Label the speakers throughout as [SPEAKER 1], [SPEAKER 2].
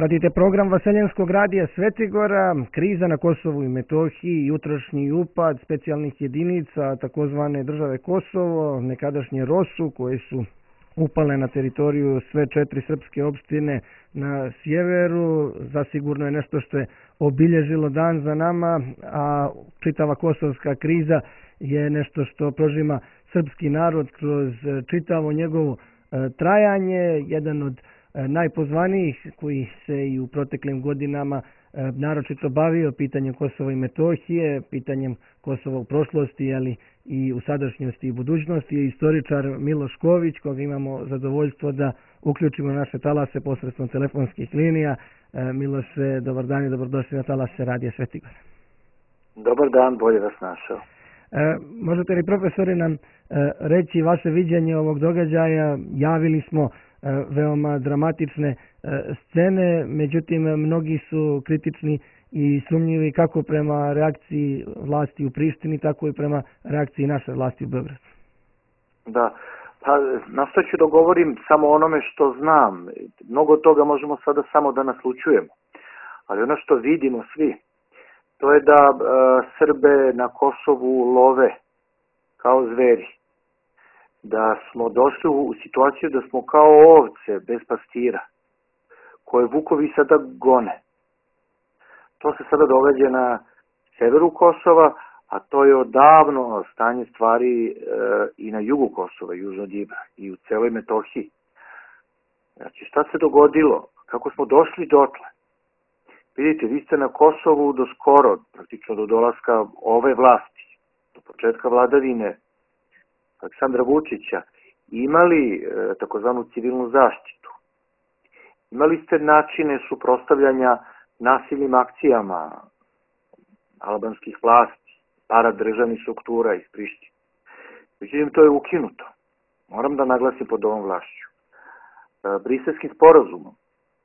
[SPEAKER 1] Pratite program Vaseljenskog radija Svetigora, kriza na Kosovu i Metohiji, jutrošnji upad specijalnih jedinica takozvane države Kosovo, nekadašnje ROSU, koje su upale na teritoriju sve 4 srpske opštine na sjeveru. Zasigurno je nešto što je obilježilo dan za nama, a čitava kosovska kriza je nešto što prožima srpski narod kroz čitavo njegovo trajanje. Jedan od najpozvanijih koji se i u proteklim godinama naročito bavio pitanjem Kosova i Metohije, pitanjem Kosova u prošlosti, ali i u sadašnjosti i budućnosti, je istoričar Miloš Ković, koga imamo zadovoljstvo da uključimo na naše talase posredstvom telefonskih linija. Miloše, dobar dan i dobrodošli na talase Radija Svetigor.
[SPEAKER 2] Dobar dan, bolje vas našao.
[SPEAKER 1] Možete li, profesori, nam reći vaše viđenje ovog događaja? Javili smo veoma dramatične scene, međutim mnogi su kritični i sumnjivi kako prema reakciji vlasti u Prištini, tako i prema reakciji naše vlasti u Beogradu.
[SPEAKER 2] Da, pa nastojat ću da govorim samo onome što znam. Mnogo toga možemo sada samo da naslućujemo, ali ono što vidimo svi, to je da Srbe na Kosovu love kao zveri. Da smo došli u situaciju da smo kao ovce bez pastira, koje vukovi sada gone. To se sada događa na severu Kosova, a to je odavno stanje stvari i na jugu Kosova, južno od Ibra, i u celoj Metohiji. Znači, šta se dogodilo? Kako smo došli dotle? Vidite, vi ste na Kosovu do skoro, praktično do dolaska ove vlasti, do početka vladavine Aleksandra Vučića, imali takozvanu civilnu zaštitu. Imali ste načine suprotstavljanja nasilnim akcijama albanskih vlasti, paradržavnih struktura iz Prištine. Međutim, to je ukinuto. Moram da naglasim pod ovom vlašću. Briselskim sporazumom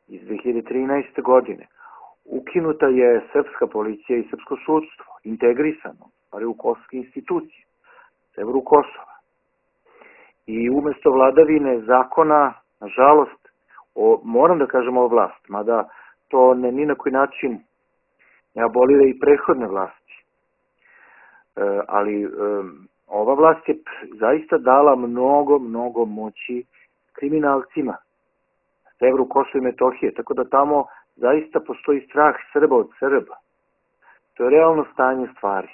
[SPEAKER 2] iz 2013. godine ukinuta je srpska policija i srpsko sudstvo, integrisano, ali u kosovske institucije, severu Kosova. I umesto vladavine zakona, nažalost, moram da kažem ovo vlast, mada to ni na koji način ne abolira i prethodne vlasti. Ali ova vlast je zaista dala mnogo moći kriminalcima na severu Kosova i Metohije, tako da tamo zaista postoji strah Srba od Srba. To je realno stanje stvari.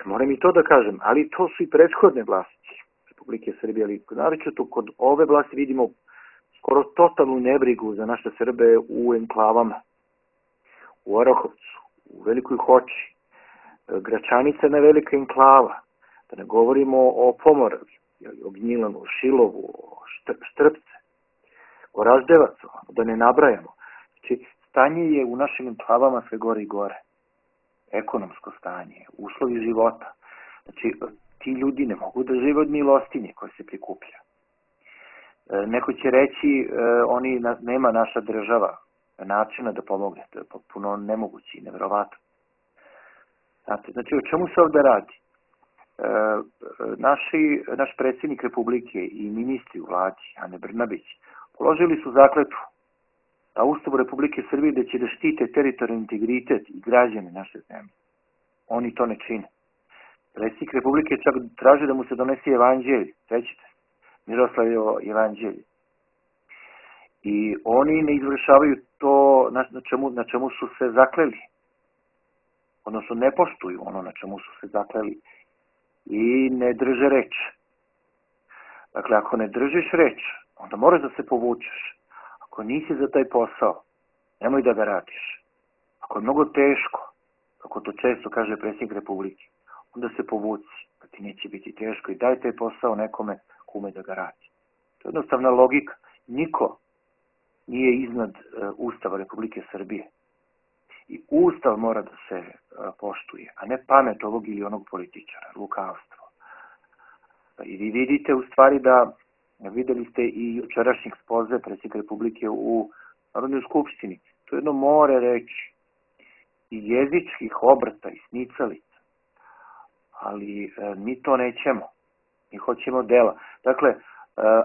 [SPEAKER 2] Moram i to da kažem, ali to su i prethodne vlasti Republike Srbije, ali naročito kod ove vlasti vidimo skoro totalnu nebrigu za naše Srbe u enklavama, u Orahovcu, u Velikoj Hoči, Gračanica je velika enklava, da ne govorimo o Pomoravlju, o Gnjilanu, o Šilovu, o Štrpce, o Raždevacu, da ne nabrajamo. Znači, stanje je u našim enklavama sve gore i gore. Ekonomsko stanje, uslovi života. Znači, ti ljudi ne mogu da žive od milostinje koje se prikuplja. Neko će reći, nema naša država načina da pomogne. To je potpuno nemoguće i neverovatno. Znači, o čemu se ovde radi? Naš predsjednik Republike i ministri u vladi, Ane Brnabić, položili su zakletvu na Ustavu Republike Srbije da će da štite teritorijalni integritet i građane naše zemlje. Oni to ne čine. Predsjednik Republike čak traži da mu se donese evanđelje, sećate se, Miroslavljevo evanđelje. I oni ne izvršavaju to na čemu su se zakleli. Odnosno ne poštuju ono na čemu su se zakleli i ne drže reč. Dakle, ako ne držiš reč, onda moraš da se povučeš. Ako nisi za taj posao, nemoj da ga radiš. Ako je mnogo teško, kako to često kaže predsjednik Republike, onda se povuci, da ti neće biti teško i daj taj posao nekome ko ume da ga radi. To je jednostavna logika. Niko nije iznad Ustava Republike Srbije. I Ustav mora da se poštuje, a ne pamet ovog ili onog političara, lukavstvo. I vi vidite u stvari da videli ste i jučerašnjeg ekspoze predsjednika Republike u Narodnoj skupštini. To je jedno more reči i jezičkih obrta i snicalica. Ali mi to nećemo. Mi hoćemo dela. Dakle,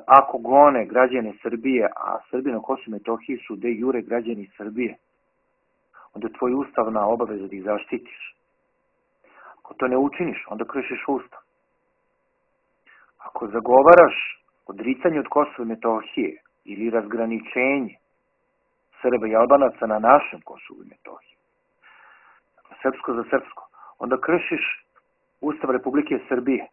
[SPEAKER 2] ako gone građane Srbije, a Srbi na Kosovu i Metohiji su de jure građani Srbije, onda je tvoj ustavna obaveza da ih zaštitiš. Ako to ne učiniš, onda kršiš ustav. Ako zagovaraš odricanje od Kosova i Metohije ili razgraničenje Srba i Albanaca na našem Kosovu i Metohiji, srpsko za srpsko, onda kršiš Ustav Republike Srbije.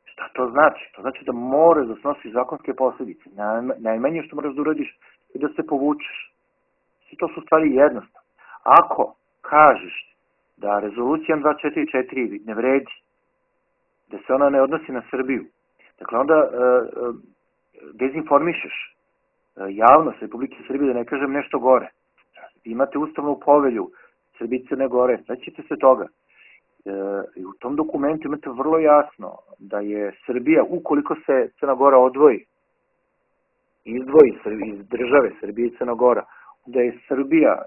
[SPEAKER 2] Šta to znači? To znači da moraš da snosiš zakonske posljedice. Najmanje što moraš da uradiš je da se povučeš. I to su stvari jednostavne. Ako kažeš da rezolucija 244 ne vredi, da se ona ne odnosi na Srbiju, dakle onda dezinformišeš javnost Republike Srbije, da ne kažem nešto gore. Imate ustavnu povelju Srbije i Crne Gore, svećete se toga. I u tom dokumentu imate vrlo jasno da je Srbija, ukoliko se Crna Gora odvoji, izdvoji iz države Srbije i Crna Gora, da je Srbija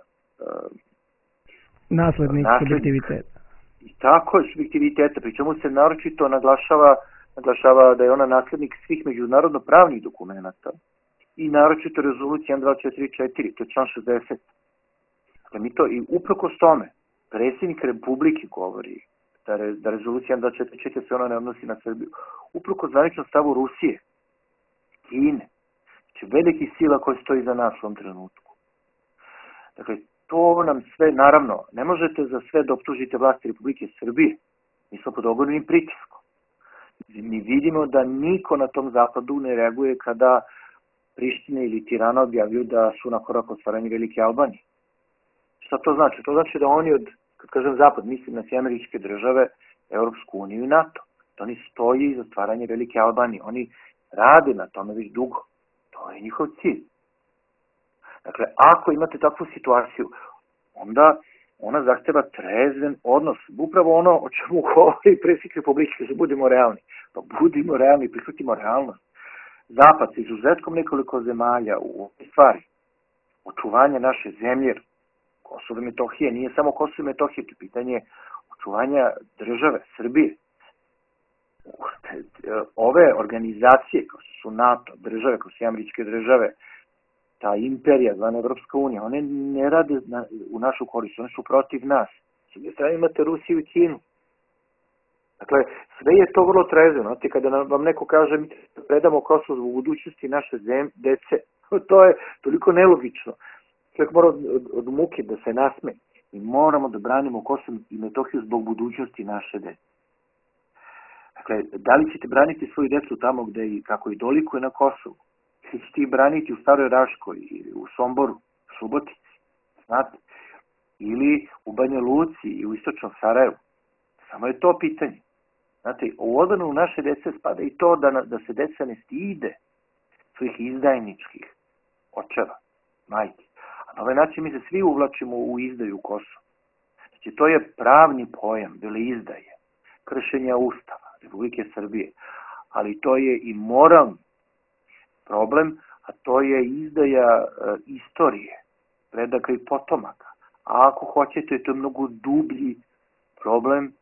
[SPEAKER 1] naslednik subjektiviteta.
[SPEAKER 2] I tako je subjektiviteta, pri čemu se naročito naglašava da je ona naslednik svih međunarodno pravnih dokumenta i naročito rezolucija 1244, to je član 60. Dakle, mi to i uprkos tome, predsjednik Republike govori da rezolucija 1244 se ona ne odnosi na Srbiju. Uprkos zvaničnom stavu Rusije, Kine, znači veliki sila koja stoji za nas u ovom trenutku. Dakle, to nam sve, naravno, ne možete za sve da optužite vlasti Republike Srbije. Mi smo pod ogromnim pritiskom. Mi vidimo da niko na tom zapadu ne reaguje kada Priština ili Tirana objavljuju da su na korak od stvaranja Velike Albanije. Šta to znači? To znači da oni kad kažem zapad, mislim na sve američke države, Europsku uniju i NATO. Da oni stoji za stvaranje Velike Albanije. Oni rade na tome već dugo. To je njihov cilj. Dakle, ako imate takvu situaciju, onda ona zahteva trezven odnos. Upravo ono o čemu govori predsjednik Republike, da budemo realni. Pa budimo realni, prihvatimo realnost. Zapad sa izuzetkom nekoliko zemalja u ovoj stvari, očuvanje naše zemlje, Kosovo i Metohije, nije samo Kosovo i Metohije, to je pitanje očuvanja države, Srbije. Ove organizacije, kao su NATO, države, kao su američke države, ta imperija, zvana Evropska unija, one ne rade u našu korist, one su protiv nas. S jedne strane imate Rusiju i Kinu. Dakle, sve je to vrlo trezveno. Kada vam neko kaže mi predamo Kosovo u budućnosti naše dece, to je toliko nelogično. Čovjek mora od muke da se nasme. Mi moramo da branimo Kosovo i Metohiju zbog budućnosti naše dece. Dakle, da li ćete braniti svoju decu tamo gde i kako i dolikuje na Kosovu? Ili ćete ih braniti u Staroj Raškoj, ili u Somboru, u Suboti, znate? Ili u Banja Luci i u istočnom Sarajevu? Samo je to pitanje. Znate, u odbranu naše dece spada i to da se deca ne stide svojih izdajničkih očeva, majki. A na ovaj način mi se svi uvlačimo u izdaju Kosova. Znači, to je pravni pojam, veleizdaje, kršenja Ustava Republike Srbije, ali to je i moralni problem, a to je izdaja istorije, predaka i potomaka. A ako hoćete, to je mnogo dublji problem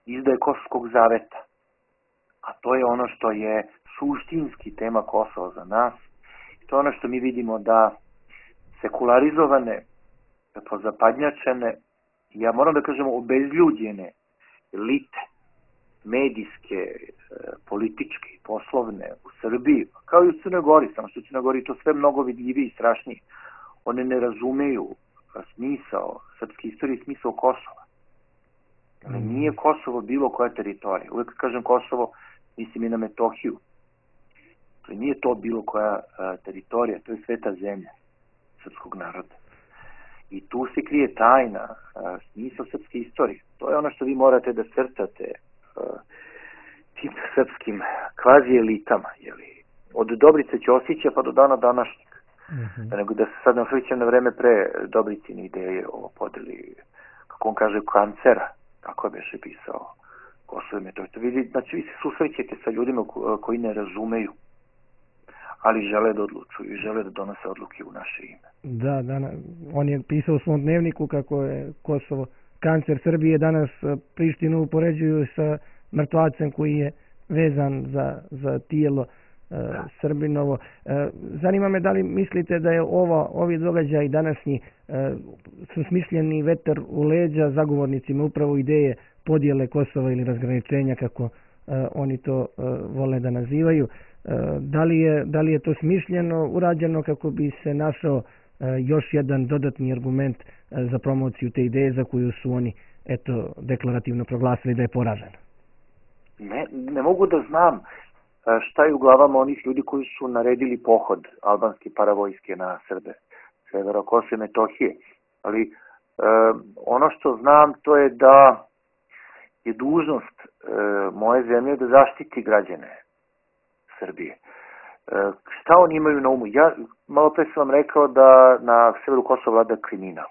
[SPEAKER 2] izdaje Kosovskog zaveta. A to je ono što je suštinski tema Kosova za nas. To je ono što mi vidimo da sekularizovane, pozapadnjačene, ja moram da kažem obezljuđene elite, medijske, političke i poslovne u Srbiji, kao i u Crnoj Gori, samo što u Crnoj Gori to sve mnogo vidljivije i strašnije. One ne razumeju smisao srpske istorije i smisao Kosova. Nije Kosovo bilo koja teritorija. Uvijek kažem Kosovo, mislim i na Metohiju. Nije to bilo koja teritorija, to je sveta zemlja srpskog naroda. I tu se krije tajna, smisao srpske istorije. To je ono što vi morate da crtate tim srpskim kvazi elitama. Od Dobrice Ćosića pa do dana današnjeg. Nego da se sad ne osvrćem na vreme pre Dobricine ideje o podeli, kako on kaže, kancera, kako je beše pisao Kosovo i Metohiju. Znači vi se susrećete sa ljudima koji ne razumeju, ali žele da odlučuju i žele da donose odluke u naše ime.
[SPEAKER 1] Da, on je pisao u svom dnevniku kako je Kosovo kancer Srbije. Danas Prištinu upoređuju sa mrtvacem koji je vezan za tijelo Srbinovo. Zanima me da li mislite da je ovi događaji današnji su smišljeni vetar u leđa zagovornicima upravo ideje podjele Kosova ili razgraničenja, kako oni to vole da nazivaju. Da li je to smišljeno urađeno kako bi se našao još jedan dodatni argument za promociju te ideje za koju su oni deklarativno proglasili da je poražena?
[SPEAKER 2] Ne mogu da znam šta je u glavama onih ljudi koji su naredili pohod albanske paravojske na Srbe, severa Kosova i Metohije. Ali ono što znam to je da je dužnost moje zemlje da zaštiti građane Srbije. Šta oni imaju na umu? Ja malo pre sam vam rekao da na severu Kosova vlada kriminal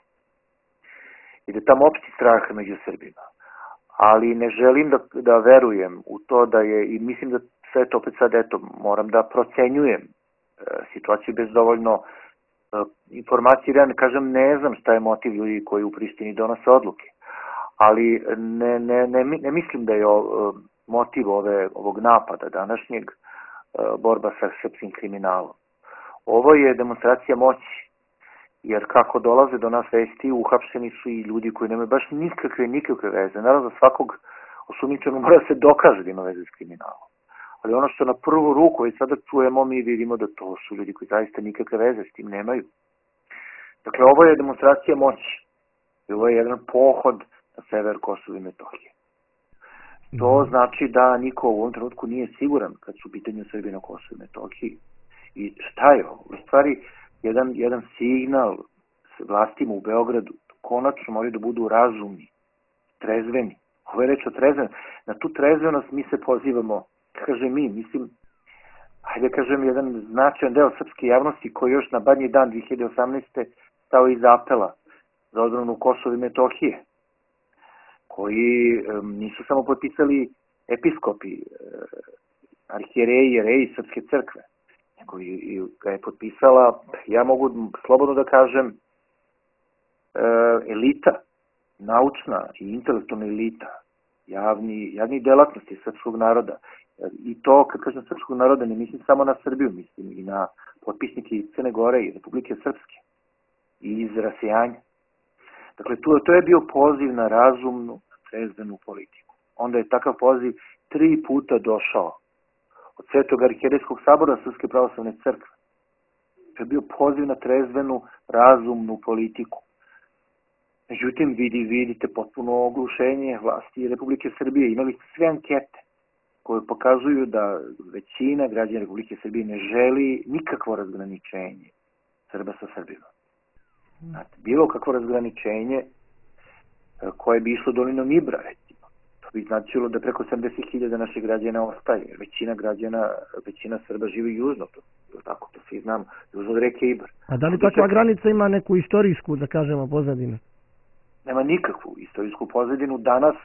[SPEAKER 2] i da tamo opšti strah među Srbima. Ali ne želim da verujem u to da je, i mislim da sve to opet sad, moram da procenjujem situaciju bez dovoljno informacije. Ja ne kažem, ne znam šta je motiv ljudi koji u Prištini donose odluke, ali ne mislim da je motiv ovog napada današnjeg borba sa srpskim kriminalom. Ovo je demonstracija moći, jer kako dolaze do nas vesti, uhapšeni su i ljudi koji nemaju baš nikakve veze. Naravno, za svakog osumnjičenog mora se dokaže da ima veze s kriminalom. Ali ono što na prvu ruku i sada čujemo, mi vidimo da to su ljudi koji zaista nikakve veze s tim nemaju. Dakle, ovo je demonstracija moći. I ovo je jedan pohod na sever Kosova i Metohije. To znači da niko u ovom trenutku nije siguran kad su u pitanju Srbije na Kosovu i Metohiji. I šta je ovo? U stvari, jedan signal vlastima u Beogradu, konačno moraju da budu razumni, trezveni. Ovo je reč o trezveni. Na tu trezvenost mi se pozivamo, kažem mi, mislim, hajde kažem, jedan značajan deo srpske javnosti koji još na badnji dan 2018. stao iz apela za odbranu Kosova i Metohije, koji nisu samo potpisali episkopi, arhijereji, jereji Srpske crkve, nego ga je potpisala, ja mogu slobodno da kažem, elita, naučna i intelektualna elita, javni delatnosti srpskog naroda. I to, kad kažem srpskog naroda, ne mislim samo na Srbiju, mislim i na potpisnike iz Crne Gore i Republike Srpske i iz rasejanja. Dakle, to je bio poziv na razumnu, trezvenu politiku. Onda je takav poziv 3 puta došao od Svetog arhijerejskog sabora Srpske pravoslavne crkve. To je bio poziv na trezvenu, razumnu politiku. Međutim, vidite potpuno oglušenje vlasti Republike Srbije. Imali ste sve ankete koje pokazuju da većina građana Republike Srbije ne želi nikakvo razgraničenje Srba sa Srbima. Znate, bilo kakvo razgraničenje koje bi išlo dolinom Ibra, recimo. To bi značilo da preko 70.000 naših građana ostaje. Većina Srba živi južno, to svi znamo, južno od reke Ibar.
[SPEAKER 1] A da li takva granica ima neku istorijsku, da kažemo, pozadinu?
[SPEAKER 2] Nema nikakvu istorijsku pozadinu. Danas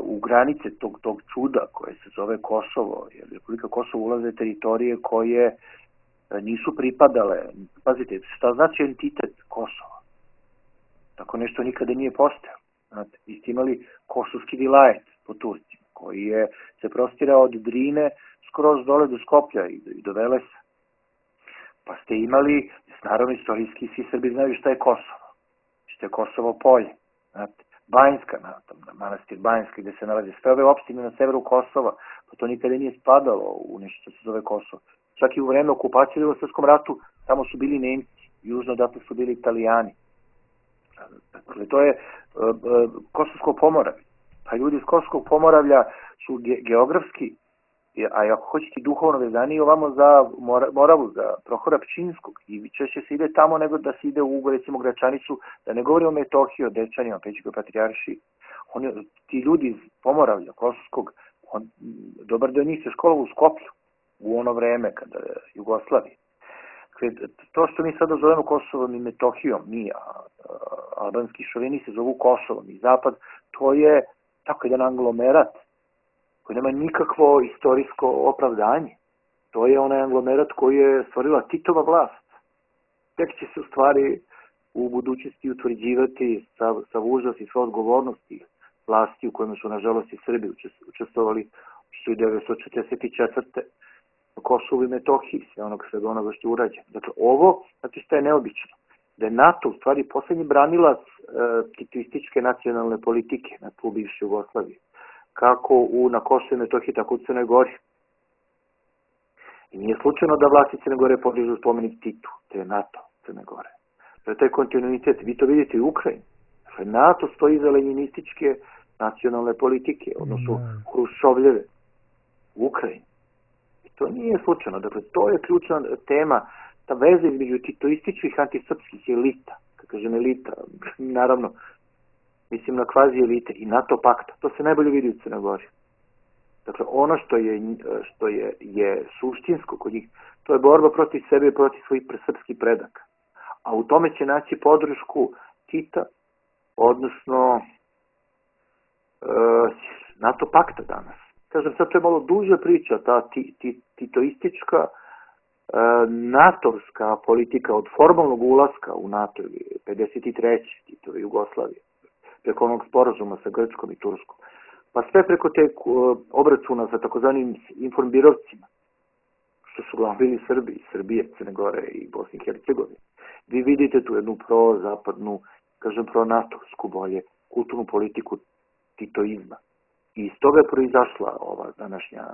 [SPEAKER 2] u granice tog čuda koje se zove Kosovo, jer Republika Kosovo ulaze teritorije koje nisu pripadale. Pazite, šta znači entitet Kosova? Tako nešto nikada nije postojao. Znate, vi ste imali kosovski vilajet po Turcima, koji se prostirao od Drine skroz dole do Skoplja i do Velesa. Pa ste imali, naravno istorijski, svi Srbi znaju šta je Kosovo. Što je Kosovo polje. Znate, Banjska, manastir Banjska, gde se nalazi sve ove opštine na severu Kosova, pa to nikada nije spadalo u nešto što se zove Kosovo. Čak i u vreme okupacije u Srpskom ratu, tamo su bili Nemci, južno odatle su bili Italijani. Dakle, to je Kosovsko Pomoravlje. Pa ljudi iz Kosovskog Pomoravlja su geografski, a ako hoćete duhovno vezani, ovamo za Moravu, za Prohora Pčinjskog, i češće se ide tamo nego da se ide u, recimo, Gračanicu, da ne govorimo o Metohiji, o Dečanima, Pećkoj patrijaršiji. Ti ljudi iz Pomoravlja, Kosovskog, dobar deo njih se školovao u Skoplju, u ono vreme kada Jugoslavije. To što mi sada zovemo Kosovom i Metohijom, mi albanski šovini se zovu Kosovom i Zapad, to je tako jedan anglomerat koji nema nikakvo istorijsko opravdanje. To je onaj anglomerat koji je stvorila Titova vlast. Tek će se u stvari u budućnosti utvrđivati sav užas i sva odgovornosti vlasti u kojima su nažalost i Srbi učestvovali 1944. Kosovu i Metohiji, svega onoga što je urađeno. Dakle, ovo, znači što je neobično, da je NATO u stvari poslednji branilac titoističke nacionalne politike na tlu bivše Jugoslavije, kako na Kosovu i Metohiji, tako u Crnoj Gori. I nije slučajno da vlasti Crne Gore podižu spomenik Titu, to je NATO Crne Gore. To je taj kontinuitet, vi to vidite i u Ukrajini. Dakle, NATO stoji iza lenjinističke nacionalne politike, odnosno Hruščovljeve u Ukrajini. I to nije slučajno, dakle, to je ključna tema, ta veza između titoističkih antisrpskih elita, kad kažem elita, naravno, mislim na kvazi elite i NATO pakta, to se najbolje vidi u Crnoj Gori. Dakle, ono što je suštinsko kod njih, to je borba protiv sebe i protiv svojih srpskih predaka. A u tome će naći podršku Tita, odnosno NATO pakta danas. Kažem, sad to je malo duža priča, ta titoistička natovska politika od formalnog ulaska u NATO 53. Titove Jugoslavije, preko onog sporazuma sa Grčkom i Turskom, pa sve preko te obračuna sa takozvanim informbirovcima, što su uglavnom bili Srbije, Crne Gore i Bosne i Hercegovine. Vi vidite tu jednu pro-zapadnu, kažem pro-natovsku bolje, kulturnu politiku titoizma. I iz toga je proizašla ova današnja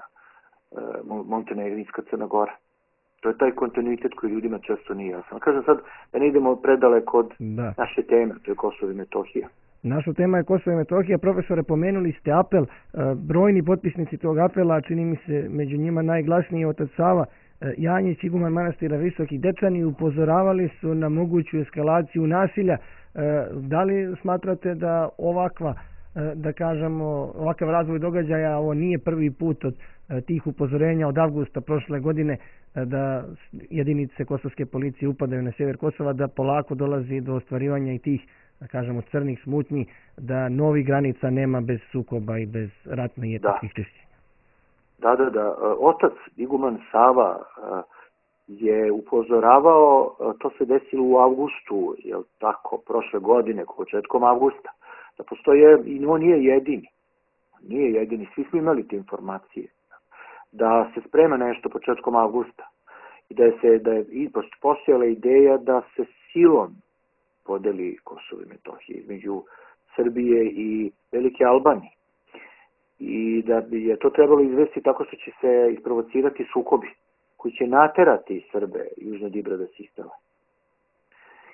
[SPEAKER 2] montenegrinska Crna Gora. To je taj kontinuitet koji ljudima često nije jasan. Kažem sad da ne idemo predaleko od naše teme, to je Kosovo i Metohija.
[SPEAKER 1] Naša tema je Kosovo i Metohija. Profesore, pomenuli ste apel. Brojni potpisnici tog apela, čini mi se među njima najglasniji otac Sava Janjić, iguman manastira Visoki Dečani, upozoravali su na moguću eskalaciju nasilja. Da li smatrate da ovakav razvoj događaja, ovo nije prvi put od tih upozorenja od avgusta prošle godine da jedinice kosovske policije upadaju na sjever Kosova, da polako dolazi do ostvarivanja i tih, da kažemo, crnih smutnji, da novih granica nema bez sukoba i bez ratnih i etničkih čišćenja?
[SPEAKER 2] Da. Otac iguman Sava je upozoravao, to se desilo u avgustu, prošle godine, početkom avgusta, da postoje, i on nije jedini, svi smo imali te informacije, da se sprema nešto početkom avgusta i da je postojala ideja da se silom podeli Kosovo i Metohiju između Srbije i Velike Albanije. I da bi je to trebalo izvesti tako što će se isprovocirati sukobi koji će naterati Srbe južno od Ibra da se istele.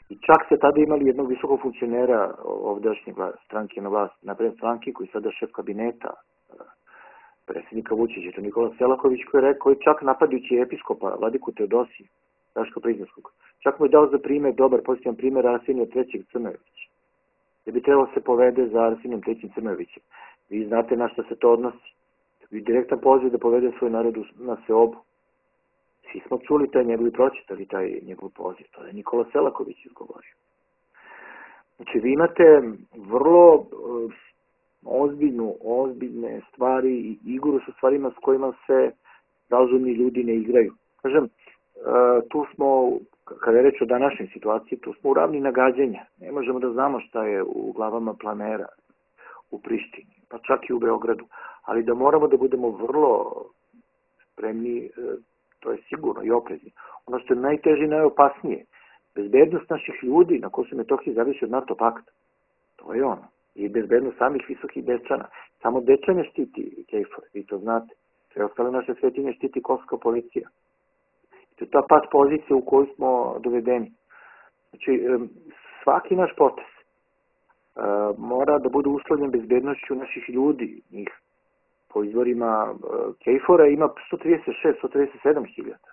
[SPEAKER 2] I čak se tada imali jednog visokog funkcionera ovdašnje stranke na vlast, napred stranke, koji je sada šef kabineta predsjednika Vučića, to Nikola Selaković, koji je rekao, čak napadajući episkopa Vladiku Teodosija, Raška Priznanskog, čak mu je dao za primjer, dobar pozitivan primjer Arsenija III. Crnojevića, da bi trebalo se povede za Arsenijom III. Crnojevićem. Vi znate na što se to odnosi. Vi direktan poziv da povede svoj narod na seobu. Svi smo čuli taj njegov i pročitali taj njegov poziv. To je Nikola Selaković izgovorio. Znači, vi imate vrlo ozbiljne stvari i igru sa stvarima s kojima se razumni ljudi ne igraju. Kažem, tu smo, kada je reč o današnjoj situaciji, tu smo u ravni nagađanja. Ne možemo da znamo šta je u glavama planera u Prištini, pa čak i u Beogradu. Ali da moramo da budemo vrlo spremni, to je sigurno i oprezni. Ono što je najteže i najopasnije, bezbednost naših ljudi na Kosovu i Metohiji zavisi od NATO pakta. To je ono. I bezbednost samih visokih Dečana. Samo Dečane štiti KFOR, vi to znate. Sve ostale naše svetinje štiti kosovska policija. I to je ta pat pozicija u kojoj smo dovedeni. Znači, svaki naš potez mora da bude uslovljen bezbednošću naših ljudi. Njih po izvorima KFOR-a ima 137 hiljada.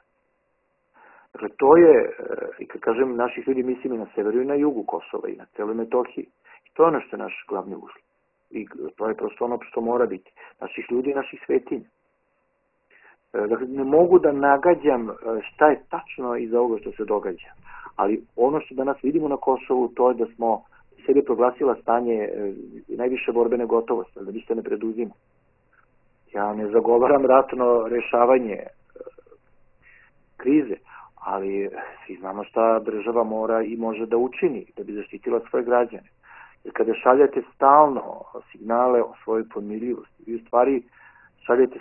[SPEAKER 2] Dakle, to je, i kad kažem naših ljudi, mislim i na severu i na jugu Kosova i na celoj Metohiji. I to je ono što je naš glavni uslov. I to je prosto ono što mora biti. Naših ljudi i naših svetinja. Dakle, ne mogu da nagađam šta je tačno iza ovoga što se događa. Ali ono što danas vidimo na Kosovu, to je da smo sebi proglasila stanje najviše borbene gotovosti, da ništa ne preduzimo. Ja ne zagovaram ratno rešavanje krize, ali svi znamo šta država mora i može da učini da bi zaštitila svoje građane. Jer kada šaljete stalno signale o svojoj pomirljivosti, vi u stvari šaljete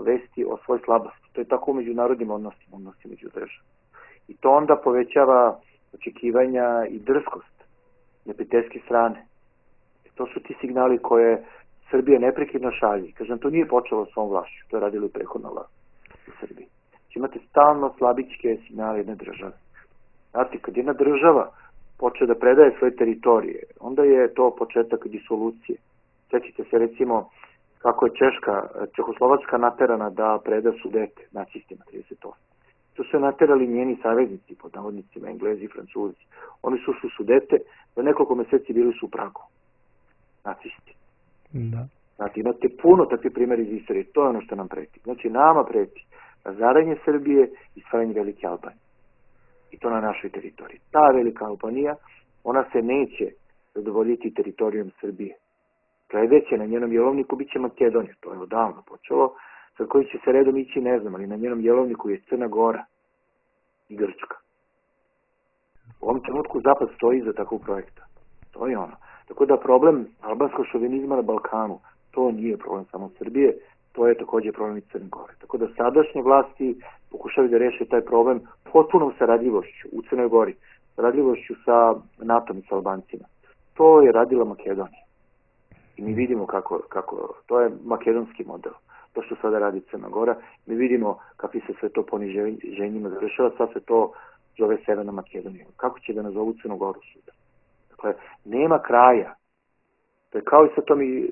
[SPEAKER 2] vesti o svojoj slabosti. To je tako u međunarodnim odnosima među državama. I to onda povećava očekivanja i drskost neprijateljske strane. To su ti signali koje Srbija neprekidno šalje. Kažem, to nije počelo svom vlašću, to je radilo i prethodna vlast u Srbiji. Znači, imate stalno slabičke signale jedne države. Znate, kad jedna država počne da predaje svoje teritorije, onda je to početak disolucije. Sjećate se recimo kako je Čehoslovačka naterana da preda Sudete nacistima 38. To su naterali njeni saveznici, pod navodnicima Englezi i Francuzi. Oni su Sudete, za nekoliko meseci bili su u Pragu. Nacisti.
[SPEAKER 1] Da.
[SPEAKER 2] Znači, imate puno takve primjeri iz istorije. To je ono što nam preti. Znači, nama preti razaranje Srbije i stvaranje Velike Albanije. I to na našoj teritoriji. Ta Velika Albanija, ona se neće zadovoljiti teritorijom Srbije. Sledeće na njenom jelovniku bit će Makedonija. To je odavno počelo. Sad koji će se redom ići, ne znam, ali na njenom jelovniku je Crna Gora i Grčka. U ovom trenutku Zapad stoji za takvog projekta. To je ono. Tako da problem albanskog šovinizma na Balkanu, to nije problem samo Srbije, to je također problem i Crne Gore. Tako da sadašnje vlasti pokušaju da reše taj problem potpunom saradljivošću u Crnoj Gori, saradljivošću sa NATO-om i sa Albancima. To je radila Makedonija. I mi vidimo kako to je makedonski model. To što sada radi Crna Gora, mi vidimo kakvi se sve to poniženjima završava, sad se to zove Severna Makedonija. Kako će da nazovu Crnu Goru suda? Dakle, nema kraja. To je kao i sa tom i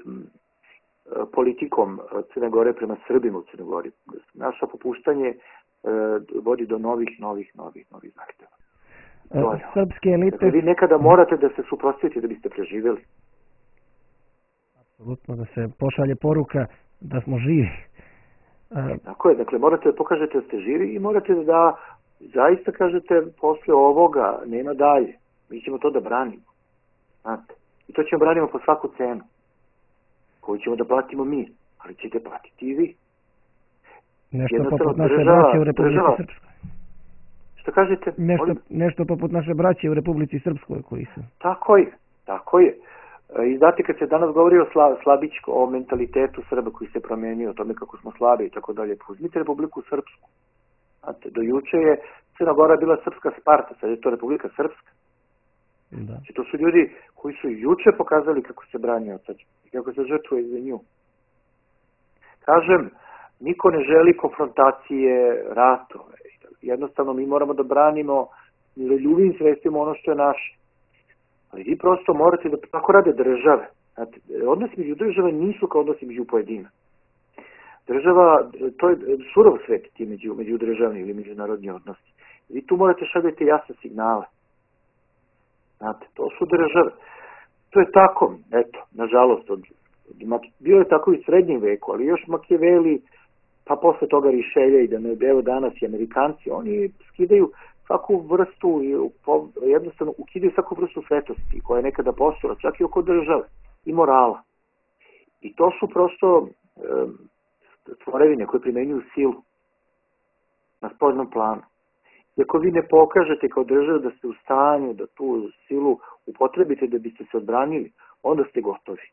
[SPEAKER 2] politikom Crne Gore prema Srbima u Crnoj Gori. Naša popuštanje vodi do novih zahtjeva.
[SPEAKER 1] Srpske elite...
[SPEAKER 2] Dakle, vi nekada morate da se suprotstavite da biste preživjeli.
[SPEAKER 1] Apsolutno, da se pošalje poruka da smo živi.
[SPEAKER 2] Tako je, dakle, morate da pokažete da ste živi i morate da zaista kažete posle ovoga nema dalje. Mi ćemo to da branimo. Znate? I to ćemo branimo po svaku cenu. Koju ćemo da platimo mi, ali ćete platiti i vi.
[SPEAKER 1] Nešto poput naše braće u Republici Srpskoj.
[SPEAKER 2] Što kažete?
[SPEAKER 1] Nešto poput naše braće u Republici Srpskoj koji su.
[SPEAKER 2] Tako je. I znate, kad se danas govori o slabičko, o mentalitetu Srba koji se promenio, o tome kako smo slabi i tako dalje, uzmite Republiku Srpsku. Znate, do juče je Crna Gora bila srpska Sparta, sad je to Republika Srpska.
[SPEAKER 1] Da.
[SPEAKER 2] Znači, to su ljudi koji su juče pokazali kako se brani od srpska i kako se žrtvuje za nju. Kažem, niko ne želi konfrontacije, ratove. Jednostavno, mi moramo da branimo miroljubivim sredstvima ono što je naše. Ali vi prosto morate da tako rade države. Znate, odnosi među države nisu kao odnosi među pojedina. Država, to je surov svet ti međudržavni ili međunarodni odnosi. Vi tu morate šaljati jasne signale. Znate, to su države. To je tako, eto, nažalost, bio je tako i u srednjem veku, ali još Makijaveli, pa posle toga Rišelja i da ne evo danas i Amerikanci, oni skidaju svaku vrstu, jednostavno ukidaju svaku vrstu svetosti koja je nekada postojala, čak i oko države i morala. I to su prosto tvorevine koje primenjuju silu na spoljnom planu. I ako vi ne pokažete kao država da ste u stanju da tu silu upotrebite da biste se odbranili, onda ste gotovi.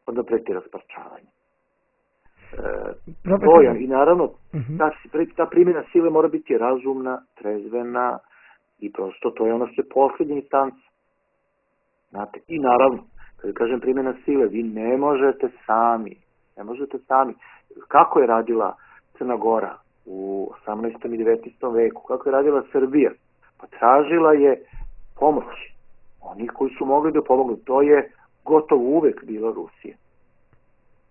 [SPEAKER 2] Onda preti rasparčavanje. I naravno, ta primjena sile mora biti razumna, trezvena i prosto to je ono što je posljednja instanca. Znate, i naravno, kada kažem primjena sile, vi ne možete sami. Kako je radila Crna Gora u 18. i 19. veku? Kako je radila Srbija? Pa tražila je pomoć. Oni koji su mogli da pomogli, to je gotovo uvek bila Rusija.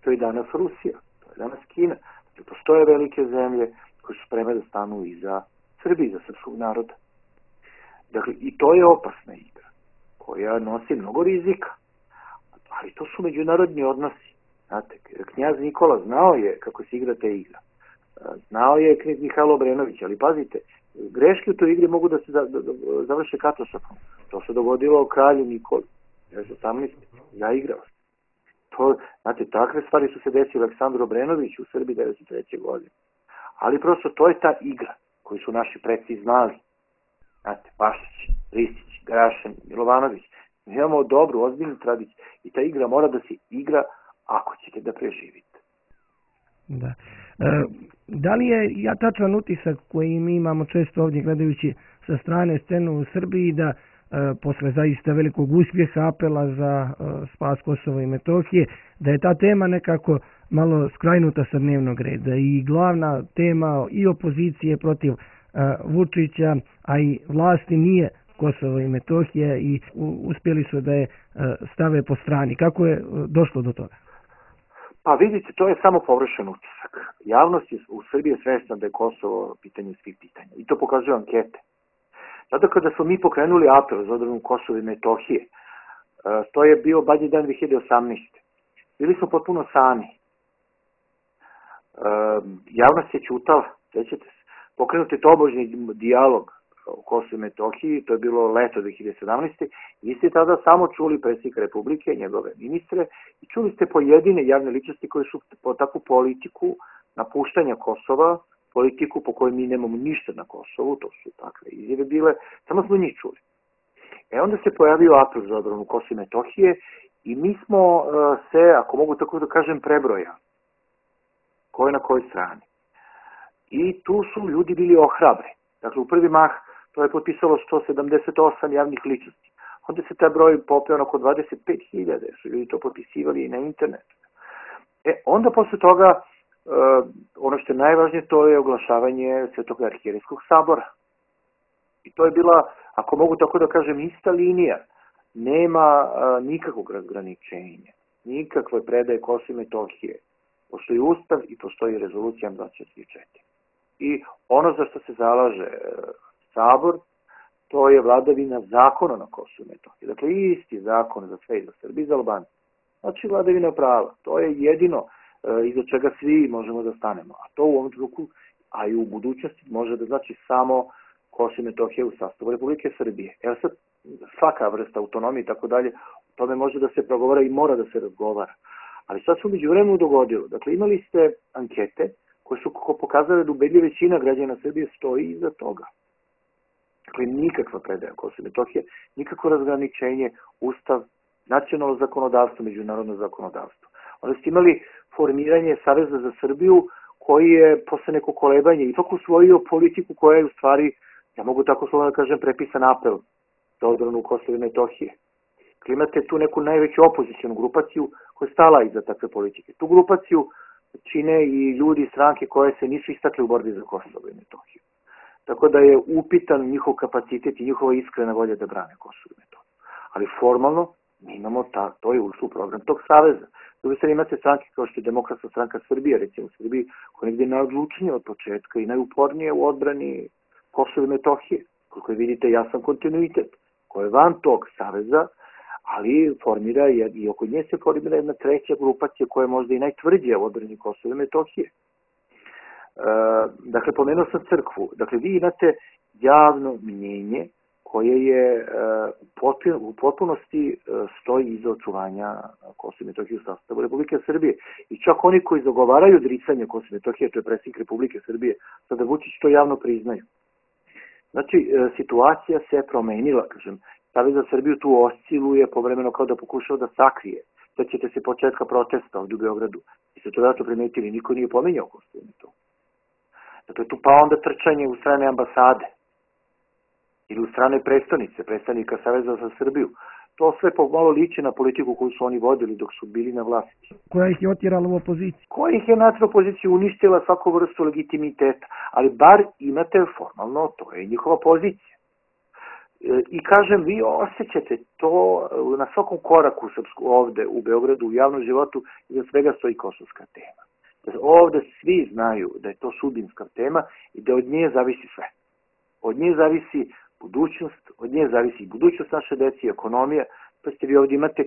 [SPEAKER 2] To je danas Rusija. Danas Kina. Postoje velike zemlje koje su spremne da stanu iza Srbije, iza srpskog naroda. Dakle, i to je opasna igra, koja nosi mnogo rizika. Ali to su međunarodni odnosi. Znate, knjaz Nikola znao je kako se igra te igra. Znao je knjaz Mihajlo Obrenović, ali pazite, greške u toj igri mogu da se završe katastrofom. To se dogodilo kralju Nikoli. 18. zaigrao se. Znate, takve stvari su se desile Aleksandru Obrenoviću u Srbiji 1993. godine. Ali prosto to je ta igra koju su naši preci znali. Znate, Pašić, Ristić, Grašan, Milovanović. Mi imamo dobru, ozbiljnu tradiciju. I ta igra mora da se igra ako ćete da preživite.
[SPEAKER 1] Da. Da li je tačan utisak koji mi imamo često ovdje gledajući sa strane scenu u Srbiji da posle zaista velikog uspjeha apela za spas Kosova i Metohije, da je ta tema nekako malo skrajnuta sa dnevnog reda i glavna tema i opozicije protiv Vučića, a i vlasti nije Kosovo i Metohija i uspjeli su da je stave po strani. Kako je došlo do toga?
[SPEAKER 2] Pa vidite, to je samo površen utisak. Javnost je u Srbiji svesna da je Kosovo pitanje svih pitanja. I to pokazuju ankete. Zato kada smo mi pokrenuli apel za odbranu Kosova i Metohije, to je bio Badnji dan 2018. Bili smo potpuno sami. Javnost je ćutala, sećate se. Pokrenuti tobožni dijalog o Kosovu i Metohiji, to je bilo leto 2017. Vi ste tada samo čuli predsjednika Republike, njegove ministre, i čuli ste pojedine javne ličnosti koje su po takvu politiku napuštanja Kosova, politiku po kojoj mi nemamo ništa na Kosovu, to su takve izjave bile, samo smo njih čuli. Onda se pojavio apel za odbranu Kosova i Metohije i mi smo se, ako mogu tako da kažem, prebrojali. Ko je na kojoj strani. I tu su ljudi bili ohrabri. Dakle, u prvi mah to je potpisalo 178 javnih ličnosti. Onda se taj broj popeo oko 25.000, su ljudi to potpisivali i na internetu. Onda posle toga, ono što je najvažnije, to je oglašavanje Svetog arhijerejskog sabora. I to je bila, ako mogu tako da kažem, ista linija. Nema nikakvog razgraničenja, nikakve predaje Kosova i Metohije. Postoji Ustav i postoji rezolucija 24. I ono za što se zalaže Sabor, to je vladavina zakona na Kosovu i Metohiji. Dakle, isti zakon za sve i za Srbi i za Albance. Znači, vladavina prava. To je jedino iza čega svi možemo da stanemo. A to u ovom trenutku, a i u budućnosti, može da znači samo Kosovo i Metohija u sastavu Republike Srbije. Evo sad, svaka vrsta autonomije i tako dalje, o tome može da se progovara i mora da se razgovara. Ali sad se umeđu vremenu dogodilo. Dakle, imali ste ankete koje su pokazale da ubedljiva većina građana Srbije stoji iza toga. Dakle, nikakva predaja Kosova i Metohije, nikakvo razgraničenje, Ustav, nacionalno zakonodavstvo, međunarodno zakonodavstvo. Onda ste imali formiranje Saveza za Srbiju koji je posle neko kolebanje ipak usvojio politiku koja je u stvari, ja mogu tako slovno da kažem, prepisan apel za odbranu Kosova i Metohije. Dakle, imate tu neku najveću opozicijonu grupaciju koja je stala iza takve politike. Tu grupaciju čine i ljudi iz stranke koje se nisu istakli u borbi za Kosovo i Metohiju. Tako da je upitan njihov kapacitet i njihova iskrena volja da brane Kosovo i Metohiju. Ali formalno mi imamo to je ušlo u program tog saveza. Drugi sad imate stranke kao što je Demokratska stranka Srbije, recimo u Srbiji, koja je negdje najodlučnije od početka i najupornije u odbrani Kosova i Metohije. Koliko vidite, jasan kontinuitet koji je van tog saveza, ali formira i oko nje se formira jedna treća grupacija koja je možda i najtvrđija u odbrani Kosova i Metohije. Dakle, pomenuo sam crkvu. Dakle, vi imate javno mnjenje koje je u potpunosti stoji iza očuvanja Kosova i Metohije u sastavu Republike Srbije. I čak oni koji zagovaraju odricanje Kosova i Metohije, to je predsjednik Republike Srbije, sada Vučić to javno priznaju. Znači, situacija se promenila, kažem, Savez za Srbiju tu osciluje povremeno kao da pokušao da sakrije. Sećate se početka protesta ovdje u Beogradu. I ste to vjerojatno primetili, niko nije pomenjao Kosovo i Metohiju. Dakle, tu pa onda trčanje u strane ambasade ili u strane predstavnice, predstavnika Saveza za Srbiju. To sve pomalo liči na politiku koju su oni vodili dok su bili na vlasti.
[SPEAKER 1] Koja ih je otjerala u opoziciju?
[SPEAKER 2] Koja ih je na opoziciju uništila svaku vrstu legitimiteta, ali bar imate formalno, to je njihova pozicija. I kažem, vi osjećate to na svakom koraku ovde u Beogradu, u javnom životu, iza svega stoji kosovska tema. Ovde svi znaju da je to sudbinska tema i da od nje zavisi sve. Od nje zavisi budućnost, od nje zavisi budućnost naše dece i ekonomija. Pa ste vi ovdje imate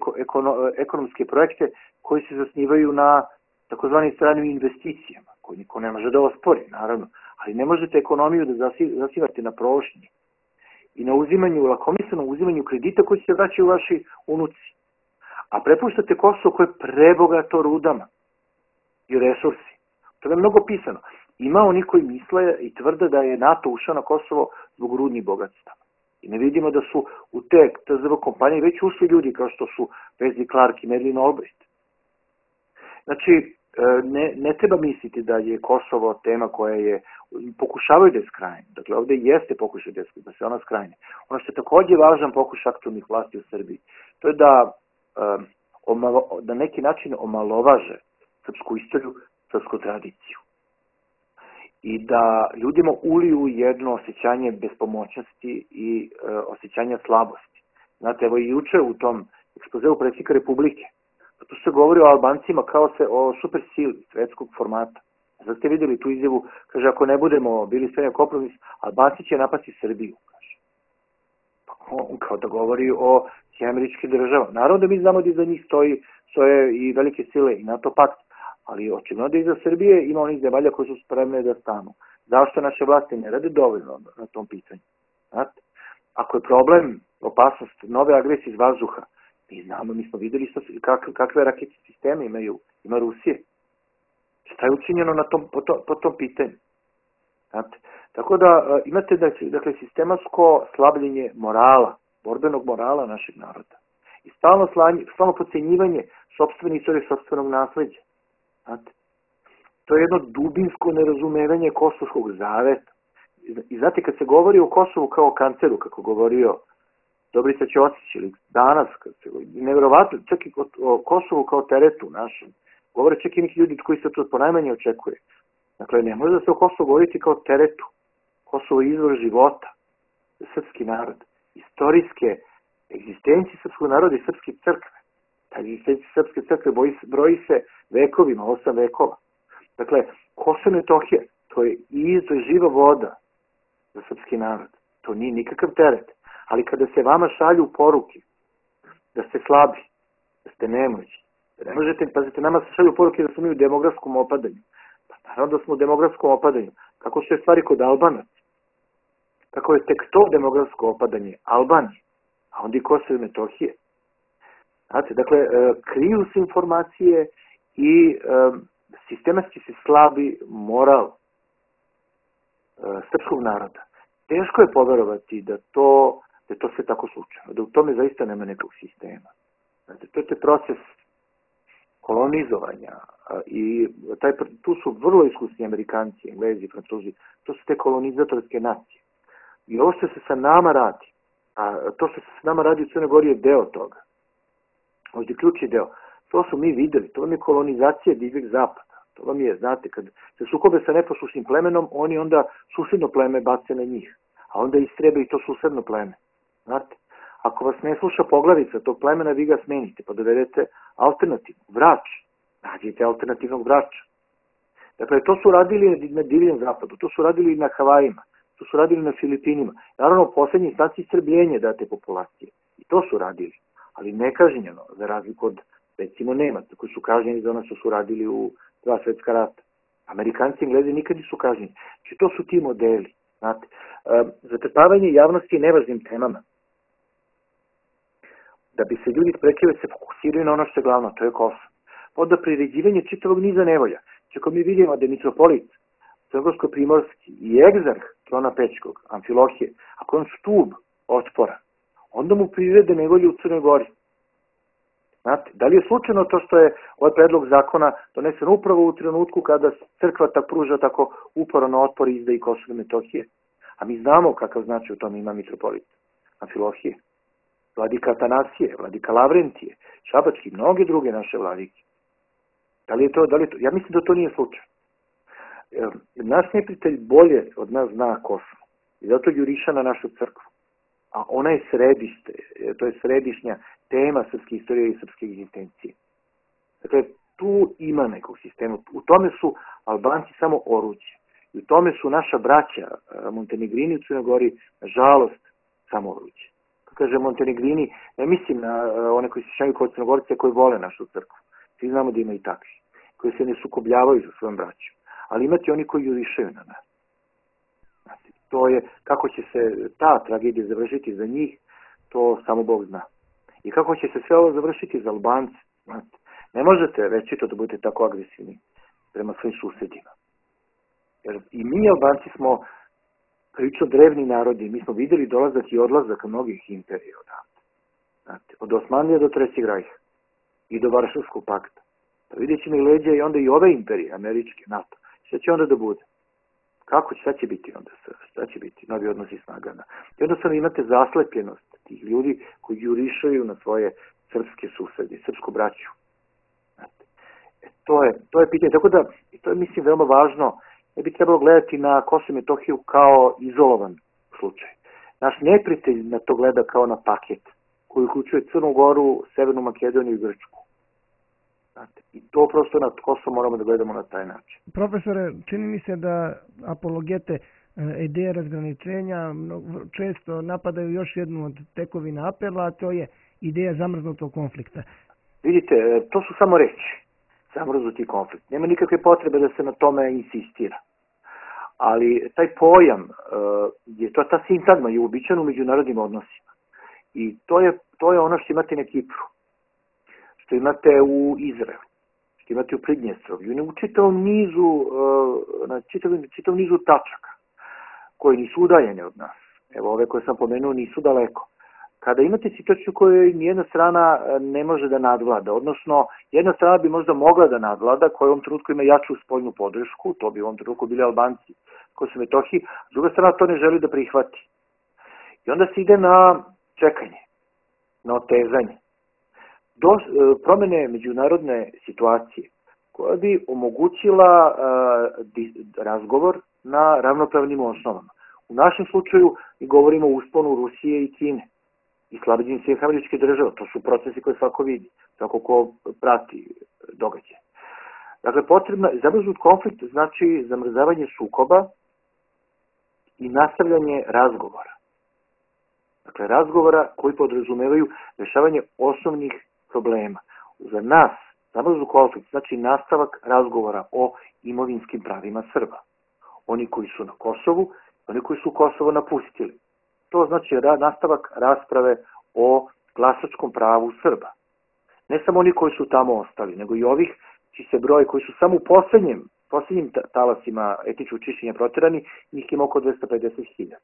[SPEAKER 2] ekonomske projekte koji se zasnivaju na takozvanim stranim investicijama, koje niko ne može da ospori, naravno. Ali ne možete ekonomiju da zasivate na prošnji i na uzimanju, lakomislenom uzimanju kredita koji se vraćaju vaši unuci. A prepuštate Kosovo koje je prebogato rudama i resursi. To je mnogo pisano. Ima oni koji misle i tvrde da je NATO ušao na Kosovo zbog rudnih bogatstva. I ne vidimo da su u te TZV kompanije već ušli ljudi kao što su Wesley Clark i Madeleine Albright. Znači, ne treba misliti da je Kosovo tema koja je, pokušavaju da je skrajne. Dakle, ovde jeste pokušaj da se ona skrajne. Ono što je takođe važan pokušaj aktualnih vlasti u Srbiji, to je da na neki način omalovaže srpsku istoriju, srpsku tradiciju. I da ljudima uliju jedno osjećanje bespomoćnosti i osjećanja slabosti. Znate, evo i juče u tom ekspozeu predsjednika Republike, tu se govori o Albancima kao o super sili svetskog formata. Sad ste vidjeli tu izjavu, kaže, ako ne budemo bili sve na kompromis, Albanci će napasti Srbiju, kaže. Pa on kao da govori o američkim državama. Naravno da mi znamo da iza njih stoje i velike sile i NATO pakt, ali očigledno da iza Srbije ima onih zemalja koji su spremne da stanu. Zašto naše vlasti ne rade dovoljno na tom pitanju? Znate? Ako je problem, opasnost nove agresije iz vazduha, mi znamo, mi smo videli kakve raketne sisteme ima Rusije. Šta je učinjeno po tom pitanju? Znate? Tako da imate dakle, sistematsko slabljenje morala, borbenog morala našeg naroda. I stalno podcenjivanje sopstvene istorije, sopstvenog nasleđa. Znate? To je jedno dubinsko nerazumevanje kosovskog zaveta. I znate, kad se govori o Kosovu kao kanceru, kako govorio Dobrica Ćosić, ili danas, nevjerovatno, čak i o Kosovu kao teretu našem, govore čak i neki ljudi koji se to ponajmanje očekuje. Dakle, ne može da se o Kosovu govoriti kao teretu. Kosovo je izvor života za srpski narod, istorijske egzistencije srpskog naroda i srpske crkve. Ta egzistencija srpske crkve broji se vekovima, 8 vekova. Dakle, Kosovo i Metohija, to je živa voda za srpski narod. To nije nikakav teret. Ali kada se vama šalju poruke da ste slabi, da ste nemoćni, da ne možete, pazite, nama se šalju poruke da smo mi u demografskom opadanju. Pa naravno da smo u demografskom opadanju. Kako su je stvari kod Albanaca? Kako je tek to demografsko opadanje Albanije, a onda i Kosovo i Metohije? Znate, dakle, kriju se informacije i sistematski se slabi moral srpskog naroda. Teško je poverovati da to sve tako slučajno, da u tome zaista nema nekog sistema. Znate, to je proces kolonizovanja i tu su vrlo iskusni Amerikanci, Englezi, Francuzi, to su te kolonizatorske nacije. I ovo što se sa nama radi, a to što se sa nama radi u Crnoj Gori je deo toga. Ovdje ključni deo. To su mi videli, to vam je kolonizacija divljeg zapada. To vam je, znate, kad se sukobe sa neposlušnim plemenom, oni onda susedno pleme bace na njih, a onda istrebe i to susedno pleme. Znate, ako vas ne sluša poglavica tog plemena, vi ga smenite, pa dovedete alternativno, vrač, nađite alternativnog vrača. Dakle, to su radili na divljem zapadu, to su radili na Havajima, to su radili na Filipinima. Naravno, u poslednji instanci istrebljenje date populacije. I to su radili, ali nekažnjeno, za razliku od, recimo, Nemaca, koji su kažnjeni za ono što su radili u 2 svetska rata. Amerikanci i Englezi nikad nisu kažnjeni. Znači, to su ti modeli. Znate, zatrpavanje javnosti nevažnim temama. Da bi se ljudi sprekili se fokusiraju na ono što je glavno, to je Kosovo. Onda priređivanje čitavog niza nevolja. Čako mi vidimo da je mitropolit Crnogorsko-primorski i egzarh trona Pećkog, Amfilohije, ako je on stub otpora, onda mu prirede nevolje u Crnoj Gori. Znate, da li je slučajno to što je ovaj predlog zakona donesen upravo u trenutku kada crkva pruža tako uporan otpor izda i Kosovo i Metohije? A mi znamo kakav znači u tome ima mitropolit Amfilohije, vladika Atanasije, vladika Lavrentije, Šabački, mnoge druge naše vladike. Da li je to? Ja mislim da to nije slučaj. Naš neprijatelj bolje od nas zna Kosovo i zato juriša na našu crkvu. A ona je središte, to je središnja tema srpske istorije i srpske egzistencije. Dakle, tu ima nekog sistema. U tome su Albanci samo oruđe. I u tome su naša braća Montenegrini u Crnoj Gori, nažalost, samo oruđe. Kad kaže Montenegrini, ne mislim na one koji se šaju kod Crnogorce koji vole našu crkvu. Svi znamo da ima i takvi, koji se ne sukobljavaju za svojom braćom. Ali imate oni koji jurišaju na nas. To je, kako će se ta tragedija završiti za njih, to samo Bog zna. I kako će se sve ovo završiti za Albance. Ne možete večito da budete tako agresivni prema svojim susedima. Jer i mi Albanci smo prilično drevni narodi. Mi smo videli dolazak i odlazak mnogih imperija odavde. Od Osmanlije do Trećeg rajha i do Varšavskog pakta. Pa vidjet ćemo i leđa i onda i ove imperije, američke, NATO. Šta će onda da bude? Šta će biti onda? Šta će biti? Novi odnosi snagana. I jednostavno imate zaslepljenost tih ljudi koji jurišaju na svoje srpske susede, srpsku braću. To je pitanje. Tako da, to je mislim veoma važno, ne bi trebalo gledati na Kosovo i Metohiju kao izolovan slučaj. Naš neprijatelj na to gleda kao na paket, koji uključuje Crnu Goru, Severnu Makedoniju i Grčku. I to prosto na Kosovo moramo da gledamo na taj način.
[SPEAKER 1] Profesore, čini mi se da apologete ideje razgraničenja često napadaju još jednu od tekovina apela, a to je ideja zamrznutog konflikta.
[SPEAKER 2] Vidite, to su samo reči. Zamrznuti konflikt. Nema nikakve potrebe da se na tome insistira. Ali taj pojam, ta sintagma je uobičajena u međunarodnim odnosima. I to je ono što imate na Kipru, što imate u Izraelu, što imate u Pridnjestrovlju i u čitavom nizu tačaka koje nisu udaljene od nas. Evo, ove koje sam pomenuo nisu daleko. Kada imate situaciju koju nijedna strana ne može da nadvlada, odnosno jedna strana bi možda mogla da nadvlada, koja u ovom trenutku ima jaču spoljnu podršku, to bi u ovom trenutku bili Albanci, Kosovo i Metohiji, s druga strana to ne želi da prihvati. I onda se ide na čekanje, na otezanje, do promene međunarodne situacije, koja bi omogućila razgovor na ravnopravnim osnovama. U našem slučaju mi govorimo o usponu Rusije i Kine i slabljenju Sjedinjenih Američkih Država. To su procesi koje svako vidi, svako ko prati događaje. Dakle, zamrznut konflikt znači zamrzavanje sukoba i nastavljanje razgovora. Dakle, razgovora koji podrazumevaju rešavanje osnovnih problema. Za nas zamrznut konflikt znači nastavak razgovora o imovinskim pravima Srba. Oni koji su na Kosovu, oni koji su Kosovo napustili. To znači nastavak rasprave o glasačkom pravu Srba. Ne samo oni koji su tamo ostali, nego i ovih čiji se broj, koji su samo u poslednjim talasima etničkog čišćenja proterani, njih ima oko 250.000.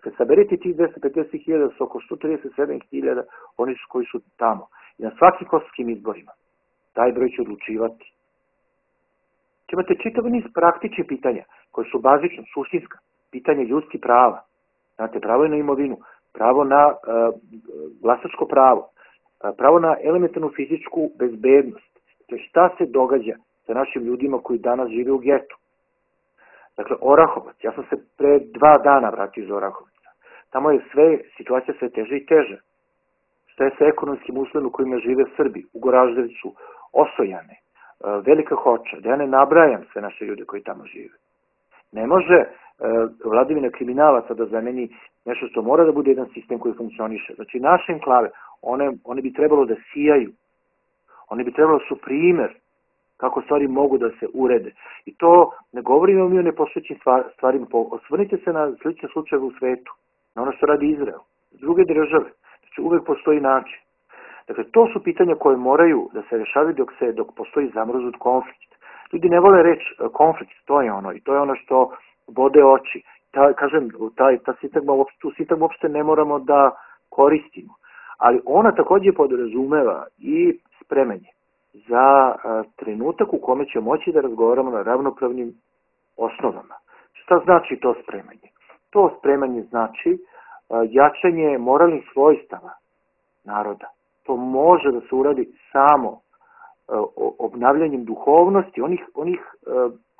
[SPEAKER 2] Kad saberete tih 250.000 su oko 137.000 oni koji su tamo. I na svakim kosovskim izborima taj broj će odlučivati. Imate čitav niz praktičnih pitanja koje su bazično, suštinska, pitanje ljudskih prava. Znate, pravo je na imovinu, pravo na glasačko pravo, pravo na elementarnu fizičku bezbednost. To je šta se događa sa našim ljudima koji danas žive u getu. Dakle, Orahovac, ja sam se pre 2 dana vratio iz Orahovca. Tamo je situacija sve teže i teže. Šta je sa ekonomskim uslovima u kojima žive Srbi, u Goraždevcu, Osojane, Velika Hoča, da ja ne nabrajam sve naše ljude koji tamo žive. Ne može vladavina kriminalaca da zameni nešto što mora da bude jedan sistem koji funkcioniše. Znači, naše enklave, one bi trebalo da sijaju, one bi trebalo su primer kako stvari mogu da se urede. I to ne govorimo mi o nepostojećim stvarima. Osvrnite se na slične slučajeve u svetu, na ono što radi Izrael, druge države. Znači, uvek postoji način. Dakle, to su pitanja koje moraju da se rešavaju dok postoji zamrznut konflikt. Ljudi ne vole reći konflikt, to je ono, i to je ono što bode oči. Tu sintagmu uopšte ne moramo da koristimo. Ali ona takođe podrazumeva i spremanje za trenutak u kome će moći da razgovaramo na ravnopravnim osnovama. Šta znači to spremanje? To spremanje znači jačanje moralnih svojstava naroda. To može da se uradi samo obnavljanjem duhovnosti, onih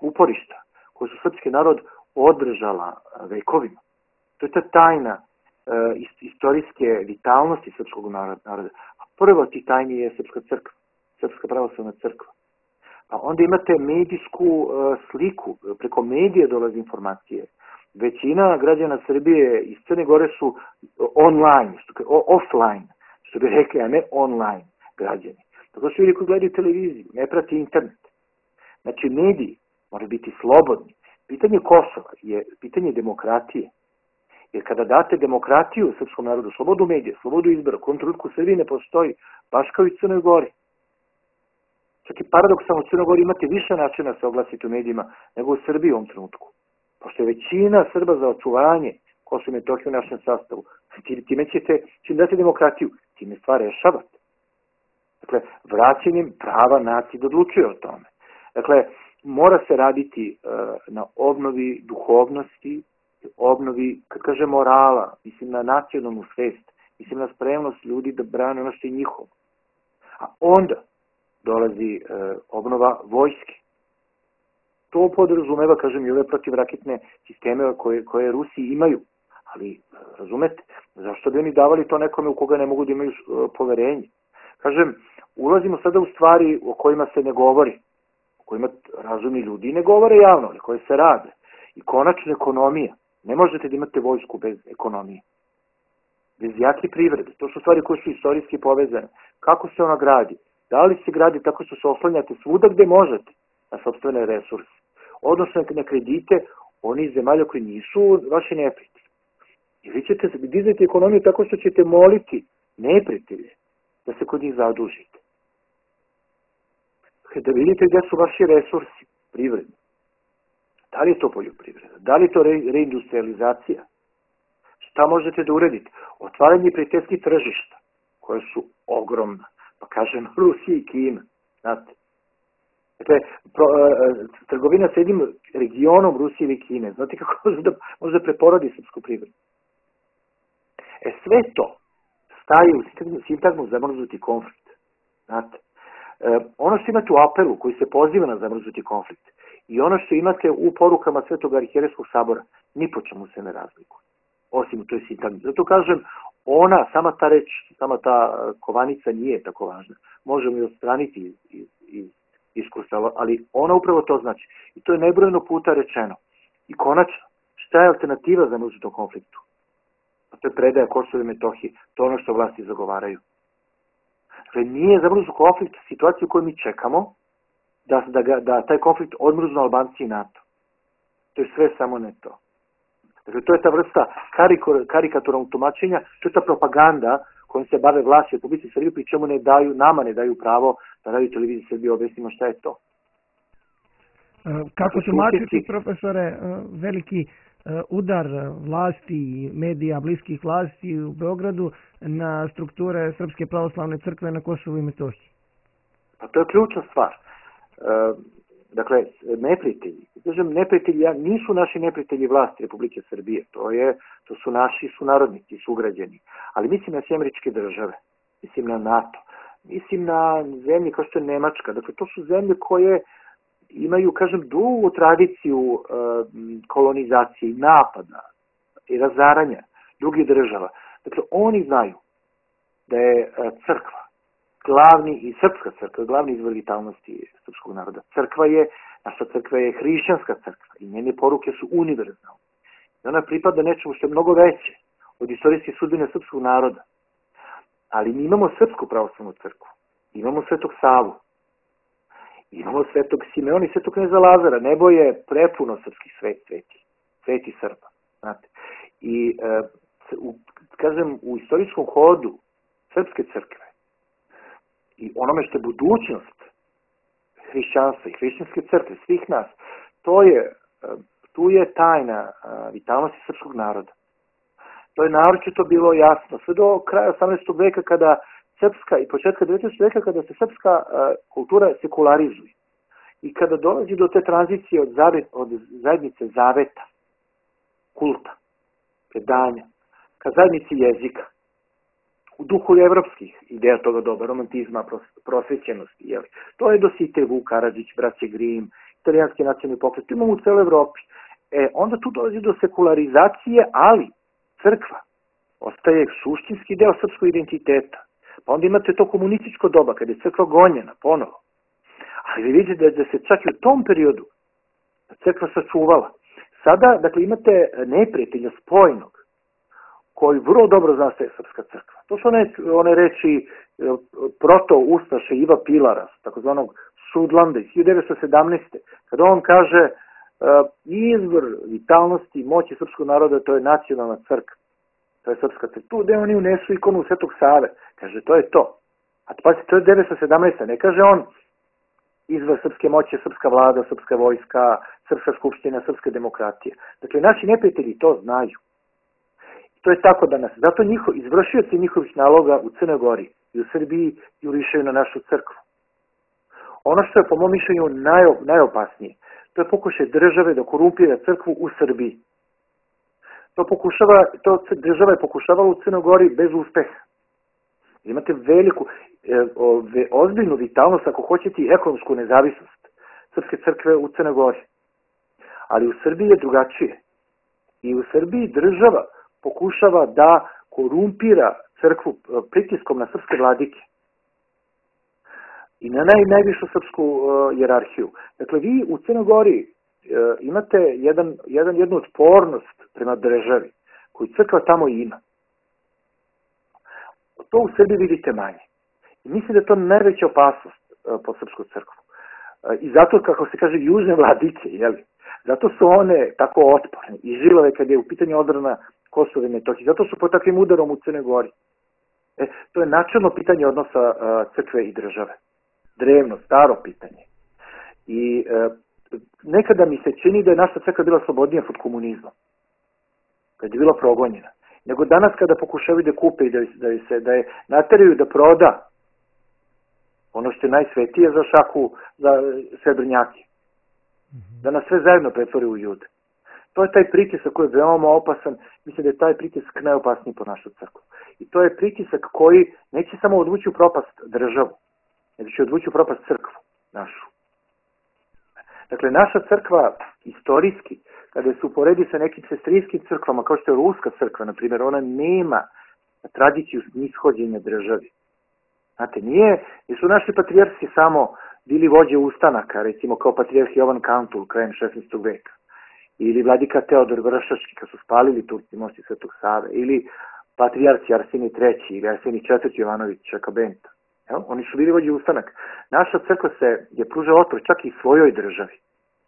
[SPEAKER 2] uporišta koje su srpski narod održala vekovima. To je ta tajna istorijske vitalnosti srpskog naroda. A prva od tih tajni je Srpska crkva, Srpska pravoslavna crkva. Pa onda imate medijsku sliku, preko medija dolaze informacije. Većina građana Srbije iz Crne Gore su online, offline, što bi rekli, a ne online građani. Tako su ljudi koji gledaju televiziju, ne prati internet. Znači, mediji moraju biti slobodni. Pitanje Kosova je pitanje demokratije. Jer kada date demokratiju srpskom narodu, slobodu medija, slobodu izbora, u kojem trenutku u Srbiji ne postoji, baš kao i u Crnoj Gori. Čak i paradoksalno u Crnoj Gori imate više načina da se oglasiti u medijima nego u Srbiji u ovom trenutku. Pošto je većina Srba za očuvanje Kosova i Metohije u našem sastavu. Time ćete, čim date demokratiju, time stvar rešavate. Dakle, vraćanjem prava naciji da odlučuje o tome. Dakle, mora se raditi na obnovi duhovnosti, obnovi, kad kaže morala, mislim na nacionalnu svest, mislim na spremnost ljudi da brane ono što je njihovo. A onda dolazi obnova vojske. To podrazumeva, kažem, i ove protivraketne sisteme koje Rusi imaju. Ali, razumete, zašto bi oni davali to nekome u koga ne mogu da imaju poverenje? Kažem, ulazimo sada u stvari o kojima se ne govori, o kojima razumni ljudi ne govore javno, ali koje se rade. I konačno ekonomija. Ne možete da imate vojsku bez ekonomije. Bez jake privrede. To su stvari koje su istorijski povezane. Kako se ona gradi? Da li se gradi tako što se oslanjate svuda gde možete na sopstvene resurse? Odnosno na kredite oni zemalja koji nisu vaši neprijatelji. I vi ćete dizati ekonomiju tako što ćete moliti neprijatelje da se kod njih zadužite. Da vidite gde su vaši resursi privredni. Da li je to poljoprivreda? Da li je to reindustrializacija? Šta možete da uradite? Otvaranje prijateljskih tržišta, koje su ogromna. Pa kažem Rusija i Kina. Znate. Dakle, trgovina sa jednim regionom Rusije i Kine. Znate kako može da preporodi srpsku privredu? Sve to staje u sintagmu zamrznuti konflikt. Znate. Ono što imate u apelu koji se poziva na zamrznuti konflikt i ono što imate u porukama Svetog arhijerejskog sabora, ni po čemu se ne razlikuje. Osim u toj sintagmi. Zato kažem, sama ta reč, sama ta kovanica nije tako važna. Možemo je odstraniti iz diskursa, ali ona upravo to znači. I to je nebrojeno puta rečeno. I konačno, šta je alternativa za zamrznutom konfliktu? A to je predaja Kosova i Metohije. To je ono što vlasti zagovaraju. Dakle, nije zamrznut konflikt situacija u kojoj mi čekamo da taj konflikt odmrznu Albanci i NATO. To je sve samo ne to. Dakle, to je ta vrsta karikaturnog tumačenja, to je ta propaganda kojom se bave vlasti u Republici Srbije, pri čemu nama ne daju pravo da Radio Televiziji Srbije objasnimo šta je to.
[SPEAKER 1] Kako tumačiti, profesore, veliki udar vlasti i medija bliskih vlasti u Beogradu na strukture Srpske pravoslavne crkve na Kosovu i Metohiji?
[SPEAKER 2] Pa to je ključna stvar. Dakle, neprijatelji. Kažem, neprijatelji nisu naši neprijatelji vlasti Republike Srbije. To su naši sunarodnici, sugrađani. Ali mislim na Američke države, mislim na NATO, mislim na zemlje kao što je Nemačka. Dakle, to su zemlje koje imaju, kažem, dugu tradiciju kolonizacije, napada i razaranja drugih država. Dakle, oni znaju da je crkva glavni i srpska crkva, glavni izvor vitalnosti srpskog naroda. Naša crkva je hrišćanska crkva i njene poruke su univerzalne. I ona pripada nečemu što je mnogo veće od istorijske sudbine srpskog naroda. Ali mi imamo Srpsku pravoslavnu crkvu, imamo Svetog Savu, imamo Svetog Simeona i Svetog kneza Lazara. Nebo je prepuno srpskih sveti Srba. Znate. I, kažem, u istorijskom hodu srpske crkve i onome što je budućnost hrišćanstva i hrišćanske crkve, svih nas, tu je tajna vitalnosti srpskog naroda. To je naročito bilo jasno sve do kraja 18. veka kada srpska i početka 19. veka kada se srpska kultura sekularizuje i kada dolazi do te tranzicije od zajednice zaveta, kulta, predanja, ka zajednici jezika, u duhu evropskih ideja toga doba, romantizma, prosvećenosti. Jeli. To je Dositej, Vuk Karadžić, braće Grim, italijanski nacionalni pokret, imamo u celoj Evropi. Onda tu dolazi do sekularizacije, ali crkva ostaje suštinski deo srpskog identiteta. Pa onda imate to komunističko doba, kada je crkva gonjena ponovo. Ali vi vidite da se čak i u tom periodu crkva sačuvala. Sada, dakle, imate neprijatelja spojnog, koji vrlo dobro zna se srpska crkva. To su one reči proto-ustaše Iva Pilara, takozvanog Sudlanda iz 1917. Kada on kaže izvor vitalnosti i moći srpskog naroda, to je nacionalna crkva. To je srpska crkva. Tu gde oni unesu ikonu Svetog Save. Kaže, to je to. A pazite, to je 1917. Ne kaže on izvor srpske moći, srpska vlada, srpska vojska, srpska skupština, srpska demokratija. Dakle, naši neprijatelji to znaju. To je tako danas. Zato izvršioci njihovih naloga u Crnoj Gori i u Srbiji jurišaju na našu crkvu. Ono što je po mom mišljenju najopasnije, to je pokušaj države da korumpira crkvu u Srbiji. Država je pokušavala u Crnoj Gori bez uspeha. Imate veliku, ozbiljnu vitalnost, ako hoćete, i ekonomsku nezavisnost Srpske crkve u Crnoj Gori. Ali u Srbiji je drugačije. I u Srbiji država pokušava da korumpira crkvu pritiskom na srpske vladike i na najvišu srpsku jerarhiju. Dakle, vi u Crnoj Gori imate jednu otpornost prema državi koju crkva tamo ima. To u Srbiji vidite manje. I mislim da je to najveća opasnost po srpsku crkvu. I zato, kako se kaže, južne vladike, zato su one tako otporne i žilave kad je u pitanju odbrana Kosova i Metohije. Zato su pod takvim udarom u Crnoj Gori. To je načelno pitanje odnosa crkve i države. Drevno, staro pitanje. I nekada mi se čini da je naša crkva bila slobodnija pod komunizmom. Kad je bila progonjena. Nego danas kada pokušavaju da kupe i da je nateraju da proda ono što je najsvetije za šaku, za srebrnjake. Da nas sve zajedno pretvori u Jude. To je taj pritisak koji je veoma opasan. Mislim da je taj pritisak najopasniji po našu crkvu. I to je pritisak koji neće samo odvući u propast državu, nego će odvući u propast crkvu našu. Dakle, naša crkva istorijski, kada se uporedi sa nekim sestrijskim crkvama, kao što je Ruska crkva, na primjer, ona nema tradiciju nishođenja državi. Znate, nisu naši patrijarsi samo bili vođe ustanaka, recimo kao patrijarh Jovan Kantul krajem 16. veka, ili vladika Teodor Vršački kad su spalili Turci mosti Svetog Save, ili patrijarci Arsenij III ili Arsenij IV Jovanović Čakabenta. Oni su bili vođe ustanaka. Naša crkva je pružala otpor čak i svojoj državi,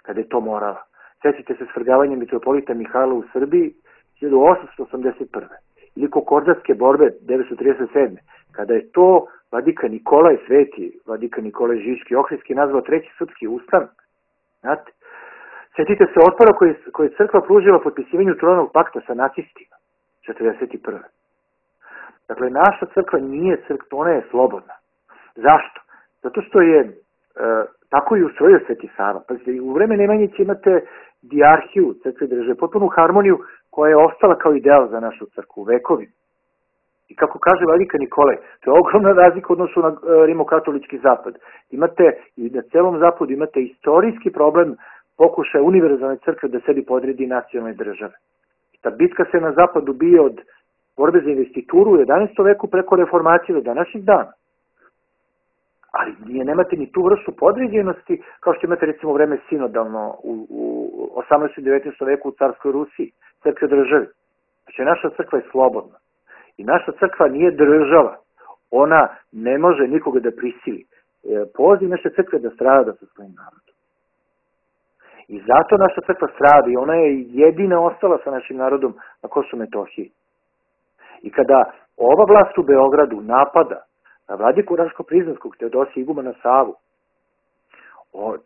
[SPEAKER 2] kada je to morala. Sjetite se svrgavanjem mitropolita Mihajla u Srbiji 1881. Ili Kokordatske borbe 1937. Kada je to vladika Nikolaj Sveti, vladika Nikolaj Žiški Ohridski nazvao Treći srpski ustanak. Znate, sjetite se otpora koji je crkva pružila potpisivanju Trojnog pakta sa nacistima 1941. Dakle, naša crkva nije crkva, ona je slobodna. Zašto? Zato što je tako i ustrojio Sveti Sava. Pazite, u vreme Nemanjića imate dijarhiju crkve države, potpunu harmoniju koja je ostala kao ideal za našu crkvu vekovi. I kako kaže vladika Nikolaj, to je ogromna razlika u odnosu na rimokatolički zapad. Imate i na celom zapadu imate istorijski problem pokušaja univerzalne crkve da sebi podredi nacionalne države. I ta bitka se na zapadu bije od borbe za investituru u 11. veku preko reformacije do današnjih dana. Ali nemate ni tu vrstu podređenosti kao što imate recimo vreme sinodalno u 18. i 19. veku u carskoj Rusiji, crkve državi. Znači naša crkva je slobodna. I naša crkva nije država. Ona ne može nikoga da prisili. Poziv naše crkve da strada sa svojim narodom. I zato naša crkva strada i ona je jedina ostala sa našim narodom na Kosovu i Metohiji. I kada ova vlast u Beogradu napada na vladiku Raško-Prizrenskog Teodosija Igumana Savu,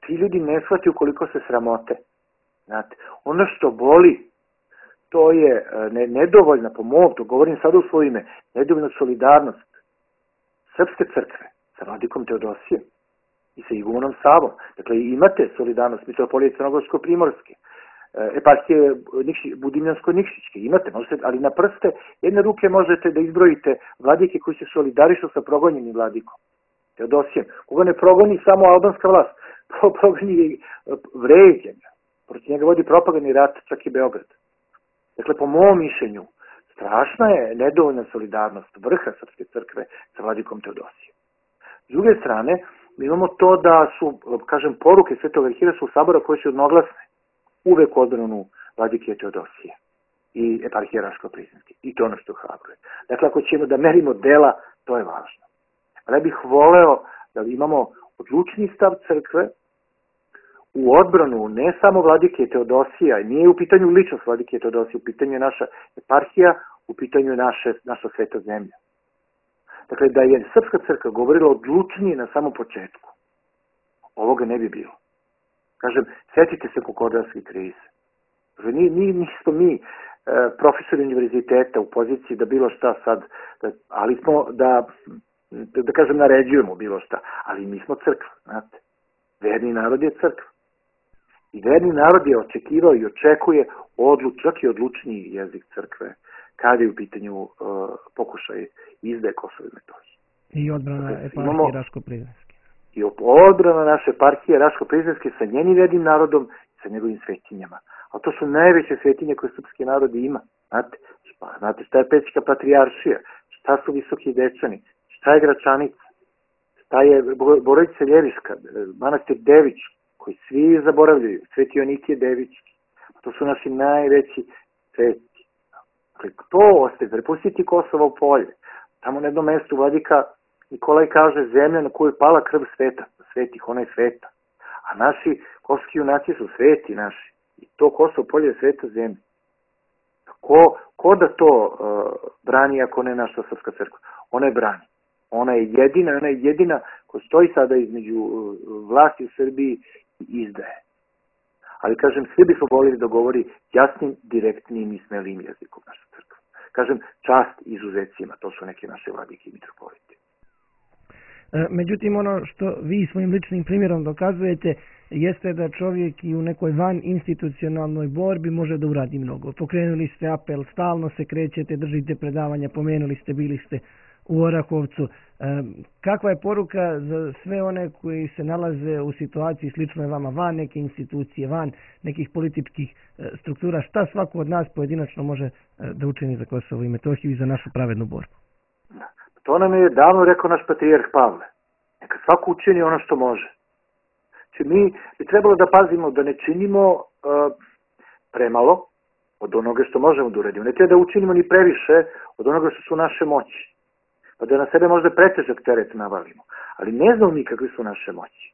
[SPEAKER 2] ti ljudi ne shvataju koliko se sramote. Znate, ono što boli, to je nedovoljna, po mom, to govorim sada u svoje ime, nedovoljna solidarnost Srpske crkve sa vladikom Teodosijem i sa Igumanom Savom. Dakle, imate solidarnost mitropolije Crnogorsko-Primorske, eparhije Budimljansko-Nikšićke, imate, ali na prste jedne ruke možete da izbrojite vladike koji se solidarišu sa progonjenim vladikom Teodosijem. Koga ne progoni samo albanska vlast, progoni vređenja. Protiv njega vodi propagandni rat, čak i Beograd. Dakle, po mom mišljenju, strašna je nedovoljna solidarnost vrha Srpske crkve sa vladikom Teodosijem. S druge strane, mi imamo to da su, kažem, poruke Svetog Arhiraškog sabora koje su jednoglasne uvek u odbranu vladike Teodosije i eparhije Raško-Prizrenske. I to ono što hrabruje. Dakle, ako ćemo da merimo dela, to je važno. Ali ja bih voleo da imamo odlučni stav crkve u odbranu ne samo vladike Teodosija, nije u pitanju ličnost vladike Teodosije, u pitanju je naša eparhija, u pitanju je naša sveta zemlja. Dakle, da je Srpska crkva govorila odlučnije na samom početku, ovoga ne bi bilo. Kažem, setite se Kokordarske krize. Nismo mi profesori univerziteta u poziciji da bilo šta sad, ali smo da kažem naređujemo bilo šta, ali mi smo crkva, znate. Verni narod je crkva. I verni narod je očekivao i očekuje čak i odlučniji jezik crkve kada je u pitanju pokušaj izdaje Kosova i Metohije.
[SPEAKER 1] I odbrana eparhije Raško-Prizrenske.
[SPEAKER 2] I odbrana naše eparhije Raško-Prizrenske sa njenim vernim narodom i sa njegovim svetinjama. A to su najveće svetinje koje srpski narod ima. Znate šta je Pećka patrijaršija, šta su Visoki Dečani, šta je Gračanica, šta je Borovica Ljeviška, manastir Dević, koji svi zaboravljaju, Sveti Jonikije Devićki. To su naši najveći sveti. Dakle, to ostaje, prepustiti Kosovo polje. Tamo na jednom mestu vladika Nikolaj kaže zemlja na koju je pala krv sveta, svetih, ona je sveta. A naši kosovski junaci su sveti naši. I to Kosovo polje je sveta zemlja. Ko da to brani ako ne naša srpska crkva? Ona je brani. Ona je jedina koja stoji sada između vlasti u Srbiji i izdaje. Ali kažem, svi bismo volili da govori jasnim, direktnim i smelim jezikom naša crkva. Kažem, čast izuzecima, to su neke naše vladike i mitropoliti.
[SPEAKER 1] Međutim, ono što vi svojim ličnim primjerom dokazujete jeste da čovjek i u nekoj van institucionalnoj borbi može da uradi mnogo. Pokrenuli ste apel, stalno se krećete, držite predavanja, pomenuli ste, bili ste u Orahovcu. Kakva je poruka za sve one koji se nalaze u situaciji sličnoj vama, van neke institucije, van nekih političkih struktura? Šta svako od nas pojedinačno može da učini za Kosovo i Metohiju i za našu pravednu borbu?
[SPEAKER 2] To nam je davno rekao naš patrijarh Pavle. Neka svako učini ono što može. Znači mi bi trebalo da pazimo da ne činimo premalo od onoga što možemo da uradimo. Ne treba da učinimo ni previše od onoga što su naše moći. Pa da na sebe možda pretežak teret navalimo. Ali ne znamo mi kakve su naše moći.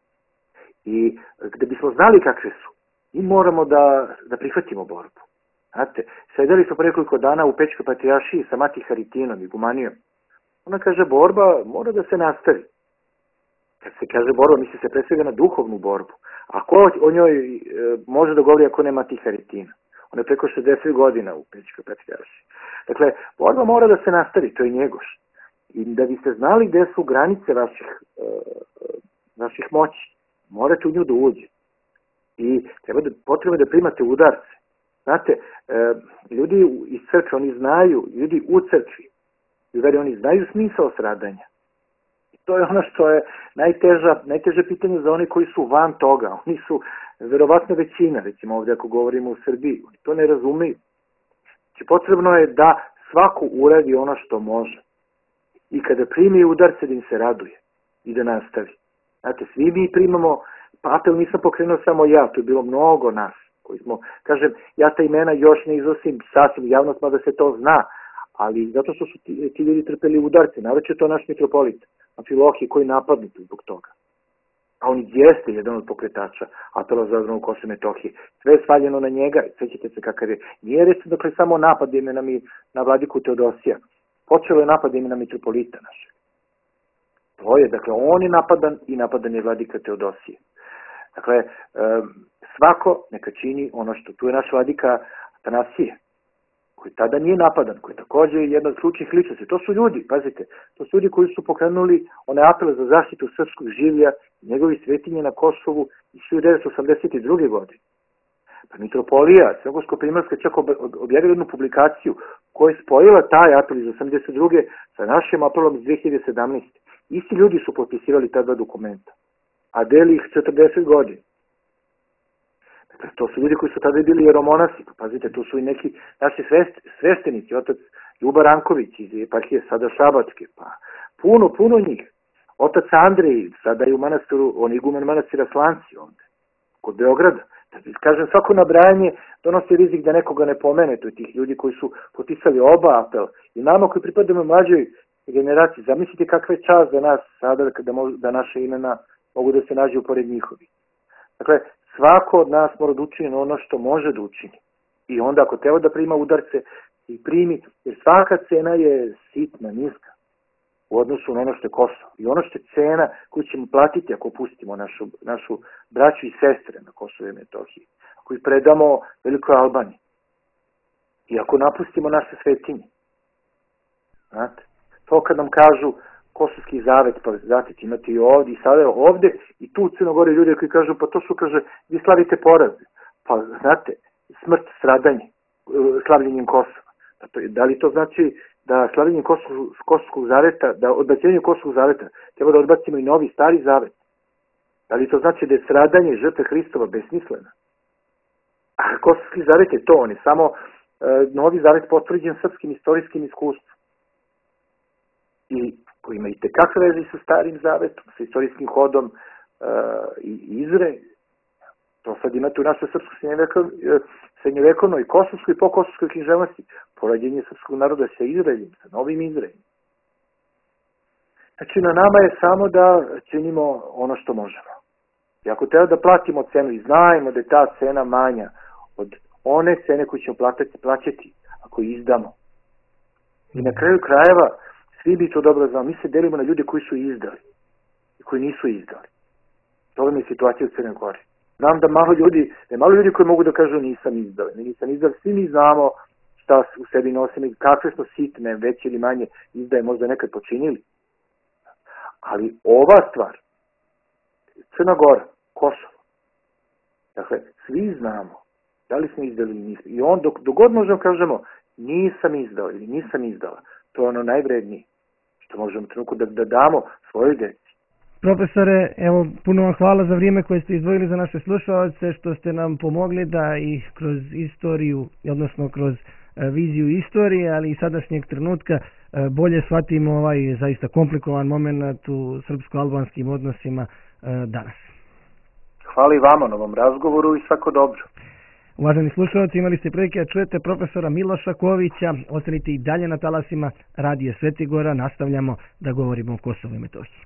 [SPEAKER 2] I da bismo znali kakve su, mi moramo da prihvatimo borbu. Znate, sedeli smo pre nekoliko dana u Pećkoj patrijaršiji sa Mati Haritinom i Gumanijom. Ona kaže, borba mora da se nastavi. Kad se kaže borba, misli se pre svega na duhovnu borbu. A ko o njoj može da govori ako nema Mati Haritina? Ona je preko 60 godina u Pećkoj patrijaršiji. Dakle, borba mora da se nastavi, to je Njegoš. I da biste znali gde su granice vaših moći, morate u nju da uđe. I potrebno da primate udarce. Znate, ljudi iz crkve, oni znaju, ljudi u crkvi, oni znaju smisao stradanja. I to je ono što je najteže pitanje za oni koji su van toga. Oni su verovatno većina, recimo ovdje ako govorimo u Srbiji. Oni to ne razumeju. Znači potrebno je da svako uradi ono što može. I kada primi udarce da im se raduje i da nastavi. Znate, svi mi primamo, pa apel nisam pokrenuo samo ja, to je bilo mnogo nas koji smo, kažem, ja ta imena još ne iznosim sasvim javnost, mada se to zna, ali zato što su ti ljudi trpeli udarce, naroče to naš mitropolit, Amfilohije koji napadnuti zbog toga. A on jeste jedan od pokretača apela za odbranu Kosova i Metohije. Sve je svaljeno na njega, sećate se kakav je. Nije recimo dakle samo napad imenami na vladiku Teodosija. Počelo je napad imena mitropolita našeg. To je, dakle, on je napadan je vladika Teodosije. Dakle, svako neka čini ono što tu je naš vladika Atanasije, koji tada nije napadan, koji je također jedna od ključnih ličnosti. To su ljudi, pazite, to su ljudi koji su pokrenuli one apele za zaštitu srpskog življa i njegovi svetinje na Kosovu iz 1982. godine. Pa mitropolija Crnogorsko-Primorska čak objavila jednu publikaciju koja je spojila taj apel iz 1982. sa našim apelom iz 2017. Isti ljudi su potpisivali ta dva dokumenta, a deli ih 40 godina. Dakle, to su ljudi koji su tada bili jeromonasi. Pazite, tu su i neki naši sveštenici, otac Ljuba Ranković iz eparhije sada Šabačke, pa puno njih. Otac Andrej, sada je u manastiru, on je iguman manastira Slanci ovde, kod Beograda. Kažem, svako nabrajanje donosi rizik da nekoga ne pomene, to je tih ljudi koji su potpisali oba apela. I nama koji pripadamo mlađoj generaciji, zamislite kakva je čast za nas sada da naše imena mogu da se nađu pored njihovi. Dakle, svako od nas mora da učini ono što može da učini. I onda ako treba da prima udarce, i primi, jer svaka cena je sitna, niska u odnosu na ono što je Kosovo. I ono što je cena koju ćemo platiti ako pustimo našu braću i sestre na Kosovo i Metohiji, ako ih predamo Velikoj Albaniji. I ako napustimo naše svetinje, znate, to kad nam kažu Kosovski zavet, pa znate, imate i ovdje, i sada ovdje, i tu u Crnogori ljudi koji kažu, pa to su, kaže, vi slavite poraze. Pa, znate, smrt, stradanje, slavljenjem Kosova. Da li to znači da slavljenjem Kosovskog zaveta, da odbacivanjem Kosovskog zaveta treba da odbacimo i novi, stari zavet? Da li to znači da je stradanje žrtve Hristova besmislena? A Kosovski zavet je to, on je samo novi zavet potvrđen srpskim istorijskim iskustvom. I koji ima i tekakve veze sa starim zavetom, sa istorijskim hodom i Izrael. To sad imate u našoj srpskoj srednjevekovnoj, kosovskoj i pokosovskoj književnosti. Porađenje srpskog naroda sa Izraeljem, sa novim Izraeljem. Znači, na nama je samo da činimo ono što možemo. I ako treba da platimo cenu i znajemo da je ta cena manja od one cene koju ćemo plaćati ako izdamo. I na kraju krajeva, svi bi to dobro znali. Mi se delimo na ljude koji su izdali i koji nisu izdali. To je situacija u Crnoj Gori. Znam da malo ljudi koji mogu da kažu nisam izdali. Nisam izdali, svi mi znamo šta u sebi nosimo i kakve smo sitne, veće ili manje izdaje možda nekad počinili. Ali ova stvar, Crna Gora, Kosovo, dakle, svi znamo da li smo izdali ili nismo. I on, dok god možemo kažemo nisam izdao ili nisam izdala, to je ono najvrednije što možemo trenutku da damo svojoj deci.
[SPEAKER 1] Profesore, evo, puno vam hvala za vrijeme koje ste izdvojili za naše slušalce, što ste nam pomogli da i kroz istoriju, odnosno kroz viziju istorije, ali i sadašnjeg trenutka bolje shvatimo ovaj zaista komplikovan moment u srpsko-albanskim odnosima danas.
[SPEAKER 2] Hvala i vama na ovom razgovoru i svako dobro.
[SPEAKER 1] Uvaženi slušalci, imali ste prilike da čujete profesora Miloša Kovića. Ostanite i dalje na talasima Radija Svetigora. Nastavljamo da govorimo o Kosovu i Metohiji.